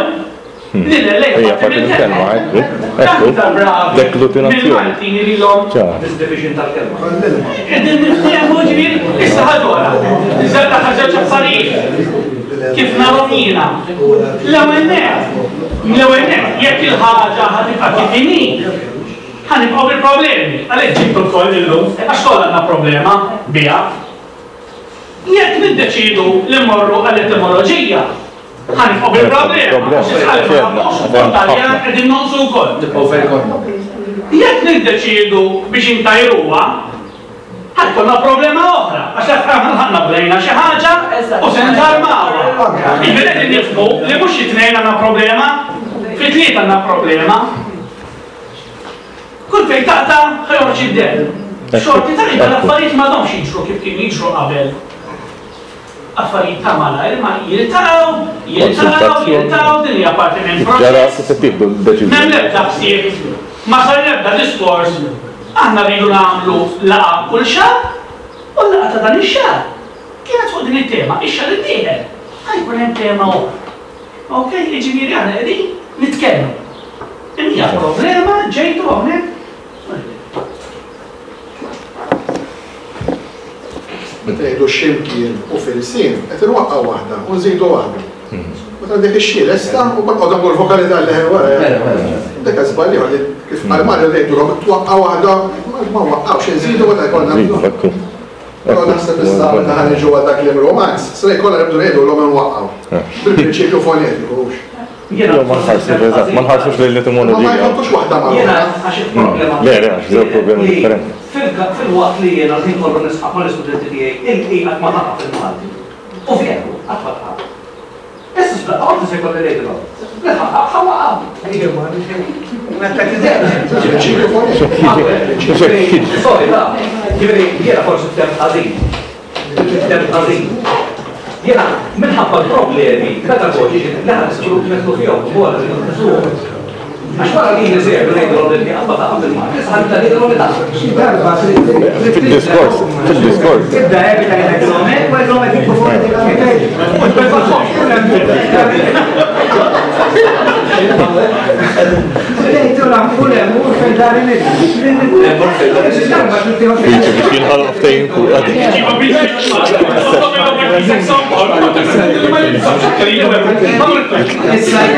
S7: li l-L hija parti mill-kelma. Aktar bravi mill-Maltin ilhom.
S3: Misdivision tal-kelma.
S7: Qegħdin niftehmu ġifieri issa ħaġa oħra. Iżda żewġ affarijiet. Kif narhom jiena. L-ewwel nett, l-ewwel nett, jekk il-ħaġa ħa tibqa' kif inhi, ħa nibqgħu bil-problemi. Għalhekk ġibtu lkoll illum, għax kollha għandna problema biha. Jekk niddeċiedu li mmorru għall-etimoloġija, ħa nibqgħu bil-problema, għax is-Sqalli ma nafux u t-Taljan qegħdin nonqsu wkoll.
S9: Nibqgħu fejn konna.
S7: Jekk niddeċiedu biex intajruha, Ħa jkollna problema oħra, għax aħna lħaqna bdejna xi ħaġa u se nżarmawha. Jiġifieri qegħdin nifhmu li mhux xi tnejn għandna problema, fi tlieta għandna problema. Kull fejn taqta' ħa joħroġ id-demm. Xorti tajba l-affarijiet m'għadhomx jiġru kif kienu jiġru qabel. Affarijiet ta' malajr imma jiltaqgħu, jiltaqgħu, jiltaqgħu, din hija parti minn proċess. M'hemm l-ebda ħsieb, ma sar l-ebda diskors, aħna rridu nagħmlu laqgħa kull xahar u l-laqgħa ta' dan ix-xahar kienet fuq din it-tema, ix-xahar id-dieħel ħa jkun hemm tema oħra. Ok, jiġifieri aħna qegħdin nitkellmu. Din hija problema ġejtu hawnhekk
S5: Meta jgħidu x'imkien u fil-sien, qed inwaqqgħu waħda u nżidu waħda. Meta għandek ix-xi lesta u mbagħad qogħdu nagħmlu l-vokali tal-leħen wara. Dak żball ieħor li kif qal Mario ngħidulhom twaqqa' waħda ma waqqgħux inżidu meta jkollna bżonn. Però naħseb issa meta ħa niġu għal dak kliem romanz, se jkollna nibdu ngħidulhom inwaqqgħu. Bil-prinċipju fonetiku hux.
S2: Jew ma nħarsux, eżatt, ma nħarsux lejn l-etimoloġija.
S5: Ma jħottux waħda ma'
S3: Jiena għax il-problema.
S2: Le, le, għax żewġ problemi differenti.
S3: Filwaqt li jiena l-ħin kollu nisħaq mal-istudenti tiegħi il-i qatt ma taqa' fil-Malti. U veru, qatt ma taqa'. Issa x'daqqa waħda se jkolli ngħidilhom. Li ħa ħa waqa'. Sorry, ta. Ġifieri jiena forsi ftemt ħażin. Ftemt ħażin. Jiena minħabba l-problemi pedagoġiċi li ħa nidħlu fihom ukoll li nqisuhom. Għax wara li niżegħlu ngħidulhom li l-tieqa ma taqa' bil-Malti, issa ħa nibda ngħidilhom li taqa'.
S6: Xi darba trid
S2: Fid-diskors, fid-diskors.
S6: Tibda evita jgħidilhom hekk u jgħidilhom hekk jikbu fonetikament.
S2: Biex jinħoloq ftehim fuq dik.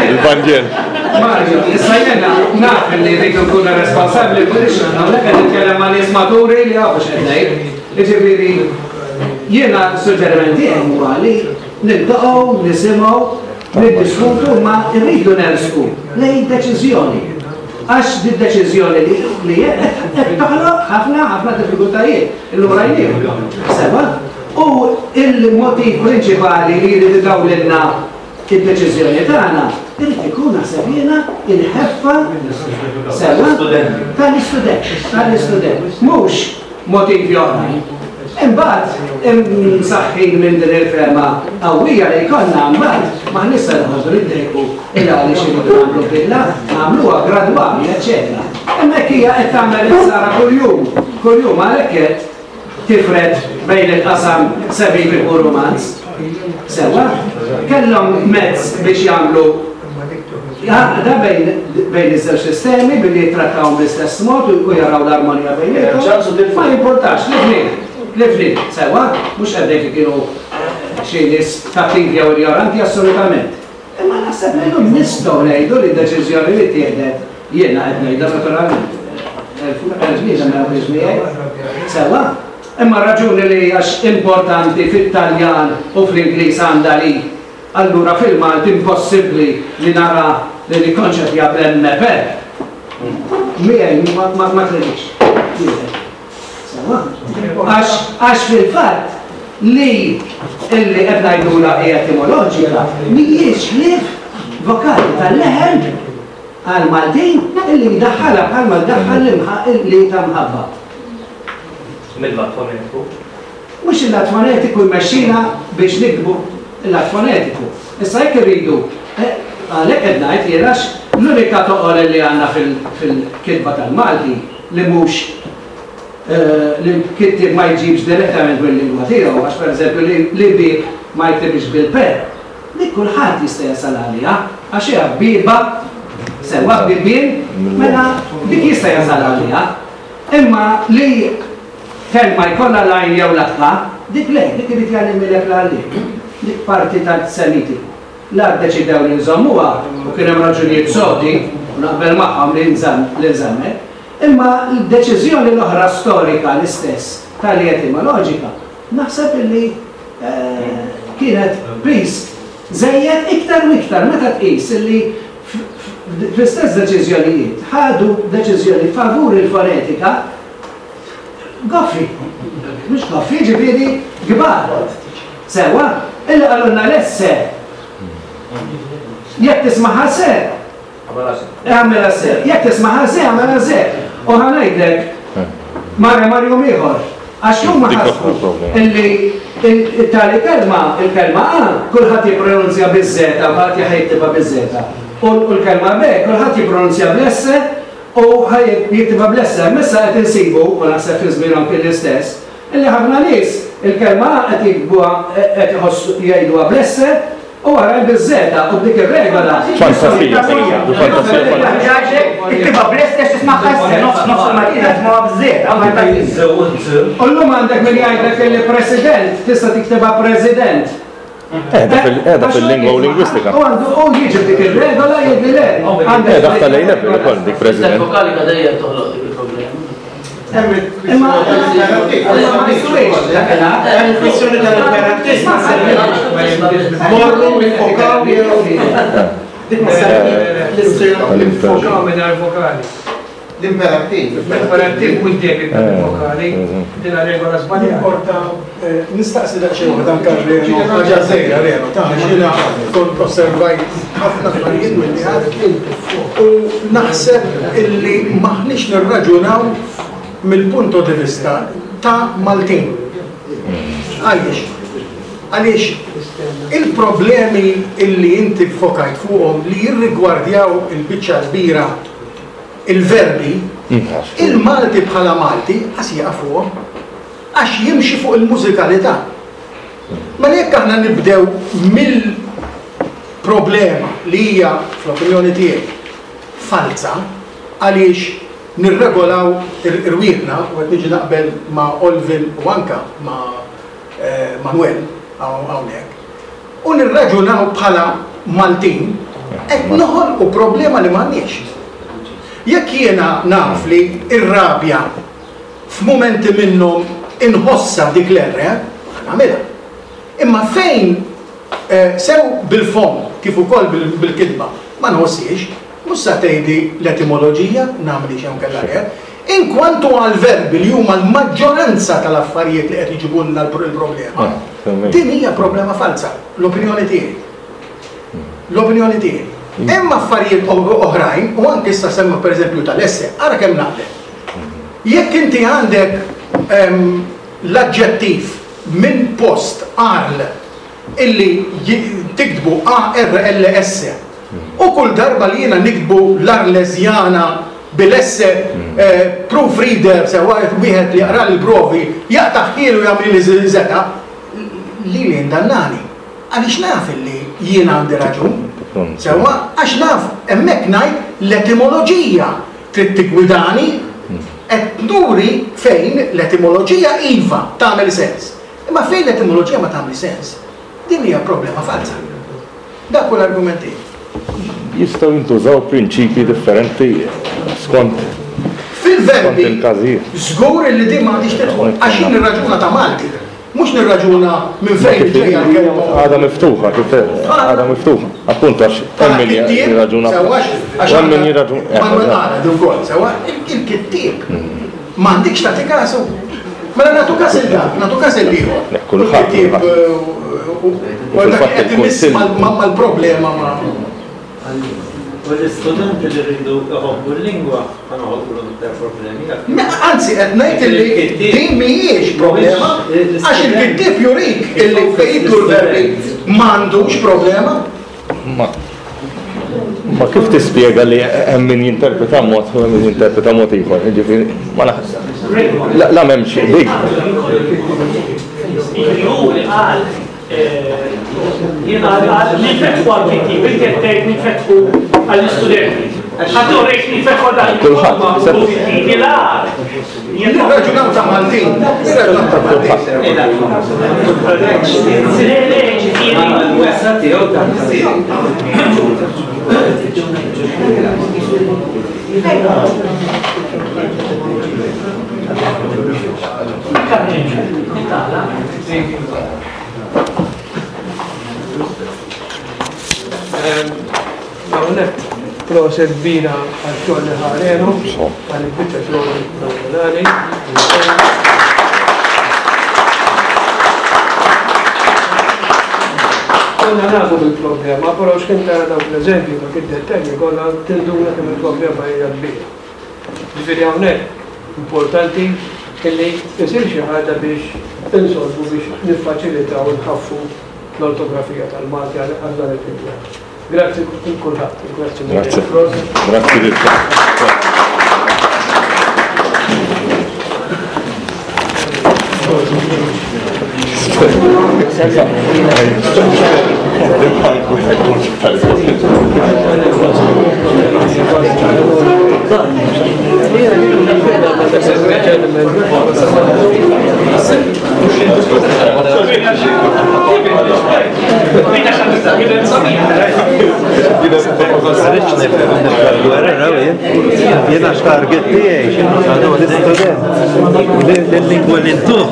S2: Il-Vanġel.
S8: Mario, issa jena naf li rridu nkunu responsabbli biex hawnhekk qed nitkellem ma' nies maturi li jafu x'qed ngħid. Jiġifieri jiena suġġeriment tiegħi huwa li niltaqgħu, nisimgħu, niddiskutu ma rridu nersqu lejn deċiżjoni. Għax di deċiżjoni li qed toħloq ħafna ħafna diffikultajiet illum rajniehom. Sewa? U il-motiv prinċipali li jrid idawlilna id-deċiżjoni tagħna irid ikun naħseb jiena il-ħeffa sewa tal-istudent, tal-istudent, mhux motivi oħrajn. Imbagħad imsaħħin minn din il-fehma qawwija li jkollna mbagħad m'aħniex se noqogħdu niddejqu il għaliex irridu nagħmlu bidla, nagħmluha gradwali, eċċetera. Hemmhekk hija qed tagħmel il-ħsara kuljum, kuljum għalhekk qed tifred bejn il-qasam semitiku u Romanz. Sewwa, kellhom mezz biex jagħmlu għaqda bejn bejn iż-żewġ sistemi billi jittrattawhom bl-istess mod u jaraw l-armonija bejniethom. Ma jimpurtax, li fnih, li fnih, sewwa, mhux qed ngħid li kienu xi nies kattivi jew injoranti assolutament. Imma naħseb li llum nistgħu ngħidu li d-deċiżjoni li ttieħdet jiena qed ngħidha naturalment. Elf bniedem ma jaqbilx miegħi. Sewwa? Imma r-raġuni li għax importanti fit-Taljan u fl-Ingliż għandha li allura fil-Malti impossibbli li nara li nikkonċepja bl-MP. Miegħi ma tridix. Sewwa? Għax għax fil-fatt li illi qed ngħidulha hi etimoloġika mhijiex ħlief vokali tal-leħen għall-Maltin illi jdaħħalha bħalma jdaħħal l-imħa li ta' mħabba.
S3: Mill-lat fonetiku?
S8: Mhux il-lat fonetiku jmexxina biex niktbu il-lat fonetiku. Issa jekk irridu, għalhekk qed ngħid jien għax l-unika toqol li għandna fil-kitba tal-Malti li mhux li l-kittieb ma jġibx direttament mill-lingwa tiegħu, għax pereżempju li bieb ma jiktibx bil-p, dik kulħadd jista' jasal għaliha, għax hija bieba sewwa bibien, mela dik jista' jasal għaliha. Imma li kelma jkollha l-għajn jew l-aħħa, dik le, dik irid jgħallimilek l-għalliem. Dik parti tas-Semitiku. La ddeċidew li nżommuha, u kien hemm raġunijiet sodi, u naqbel magħhom li li nżammet, imma l-deċiżjoni l-oħra storika l-istess tali etimoloġika, naħseb illi kienet piż żejjed iktar u iktar meta tqis illi fl-istess deċiżjonijiet ħadu deċiżjoni favur il-fonetika goffi, mhux goffi, jiġifieri kbar. Sewwa, illi qalulna l-esse. Jekk tismagħha se, għamilha se. Jekk tismagħha se, għamilha se. U ħa ngħidlek, mara mar jum ieħor. Għax huma ħasbu illi tali kelma, il-kelma A, kulħadd jippronunzja biż-żeta u ħadd jiktibha biż-żeta. U l-kelma B, kulħadd jippronunzja bl-esse u jiktibha bl-esse. Imma issa qed insibu, u naħseb fi żmienhom kien l-istess, illi ħafna nies il-kelma A qed jiktbuha qed iħossu jgħiduha bl-esse u oħrajn biż-żeta u b'dik ir-regola.
S2: Fantasija, fantasija.
S6: Iktibha bl-esse għax tismagħha esse, nofs nofs il-Maltin jisimgħuha b'żeta.
S8: U llum għandek min jgħidlek illi president tista' tiktibha president.
S2: Qiegħda fil-lingwa u lingwistika.
S8: U għandu u jiġi dik ir-regola jgħidli le.
S2: Qiegħda f'tal-A level ukoll dik president.
S9: Vokalika dejjem toħloq dik il-problema.
S8: Imma ma jistgħux dakinhar.
S4: Hemm kwistjoni tal-imperattiv. Morru niffokaw jew dik ma
S1: Niffokaw mingħajr vokali.
S4: L-imperattiv.
S1: L-imperattiv mhux dejjem jibda bil-vokali. Din regola żbaljata.
S5: Importa, nistaqsi daqsxejn waħda anke Reno, ħaġa żgħira Reno, ta' jiena kont osservajt ħafna affarijiet milli għad u naħseb illi m'aħniex nirraġunaw mill-punto di vista. ta' Maltin. Għaliex? Għaliex il-problemi illi inti ffokajt fuqhom li jirrigwardjaw il-biċċa l-kbira il-verbi, il-Malti bħala Malti qas jieqaf fuqhom. Għax jimxi fuq il-mużikalità. Mela jekk aħna nibdew mill-problema li hija, fl-opinjoni tiegħi, falza, għaliex nirregolaw irwieħna, u qed niġi naqbel ma' Olvin u anke ma' Manuel hawnhekk, u nirraġunaw bħala Maltin, qed noħolqu problema li m'għandniex. Jekk jiena naf li r-rabja f'mumenti minnhom inħossha dik l-erre, ħa nagħmilha. Imma fejn sew bil-fomm kif ukoll bil-kitba ma nħosshiex, mhux sa tgħidli l-etimoloġija nagħmlix jew inkella le. Inkwantu għall-verbi li huma l-maġġoranza tal-affarijiet li qed iġibulna l-problema, din hija problema falza, l-opinjoni tiegħi. L-opinjoni tiegħi. Hemm affarijiet oħrajn, u anke issa semma pereżempju tal-esse, ara kemm naqbel. Jekk inti għandek l-aġġettiv minn post arl illi tiktbu ARLS u kull darba li jiena niktbu l-Arleżjana bil-S proofreader sewwa wieħed li jaqrali l-provi jaqtagħhieli u jagħmlili żeta, lili jindannani. Għaliex naf illi jiena għandi raġun. Sewwa, għax naf hemmhekk ngħid l-etimoloġija trid tiggwidani, qed nuri fejn l-etimoloġija iva tagħmel sens. Imma fejn l-etimoloġija ma tagħmilx sens, din hija problema falza. Dak hu l-argument tiegħi.
S2: Jistgħu jintużaw prinċipji differenti skont
S5: Fil-verbi,
S2: il-każijiet.
S5: żgur illi din ma għandhiex tidħol, għax jien nirraġuna ta' Malti, mhux nirraġuna minn fejn ġejja l-kelma.
S2: Għadha miftuħa, kif għadha miftuħa. Appuntu għax hemm min jirraġuna.
S5: Għax
S2: hemm min jirraġuna.
S5: Manuel qala din ukoll, sewwa, il-kittieb m'għandikx tagħti kasu. Mela nagħtu każ il dak, nagħtu każ il ieħor.
S2: Kulħadd.
S5: U dak qed imiss mal-problema ma.
S9: U l-istudenti li rridu iħobbu l-lingwa ħa noħolqulhom iktar problemi.
S5: Anzi qed ngħid illi din mhijiex problema għax il-kittieb jurik illi fejn jidħlu l-verbi m'għandux problema.
S2: Ma ma kif tispjega li hemm min jinterpreta mod u hemm min jinterpreta mod ieħor, jiġifieri ma naħseb. La m'hemmx dik.
S7: Qal qal ninfetħu għall-kittieb, inti qed tgħid ninfetħu għall-istudenti. Ħadd urejt ninfetħu għal dak
S2: Kulħadd.
S7: pożittivi l-agħar.
S5: Nirraġunaw ta' Maltin, nirraġunaw ta' Maltin.
S7: Le, le, ġifieri.
S1: Hawnhekk proset kbira għax-xogħol li ħarenu, għal il-biċċa xogħol fenomenali. Konna nafu bil-problema, però x'kien tara dawk l-eżempji dak id-dettalji kollha tinduna kemm il-problema hija kbira. Ġifieri hawnhekk importanti illi isir xi ħaġa biex insolvu biex niffaċilitaw u nħaffu l-ortografija tal-Malti għal dan il-kittieb. Grazzi lil kulħadd. Grazzi.
S2: Grazzi. Grazzi lilkom.
S4: Jiena x-target tiegħi għadu l-istudent. L-lingwa li ntuh.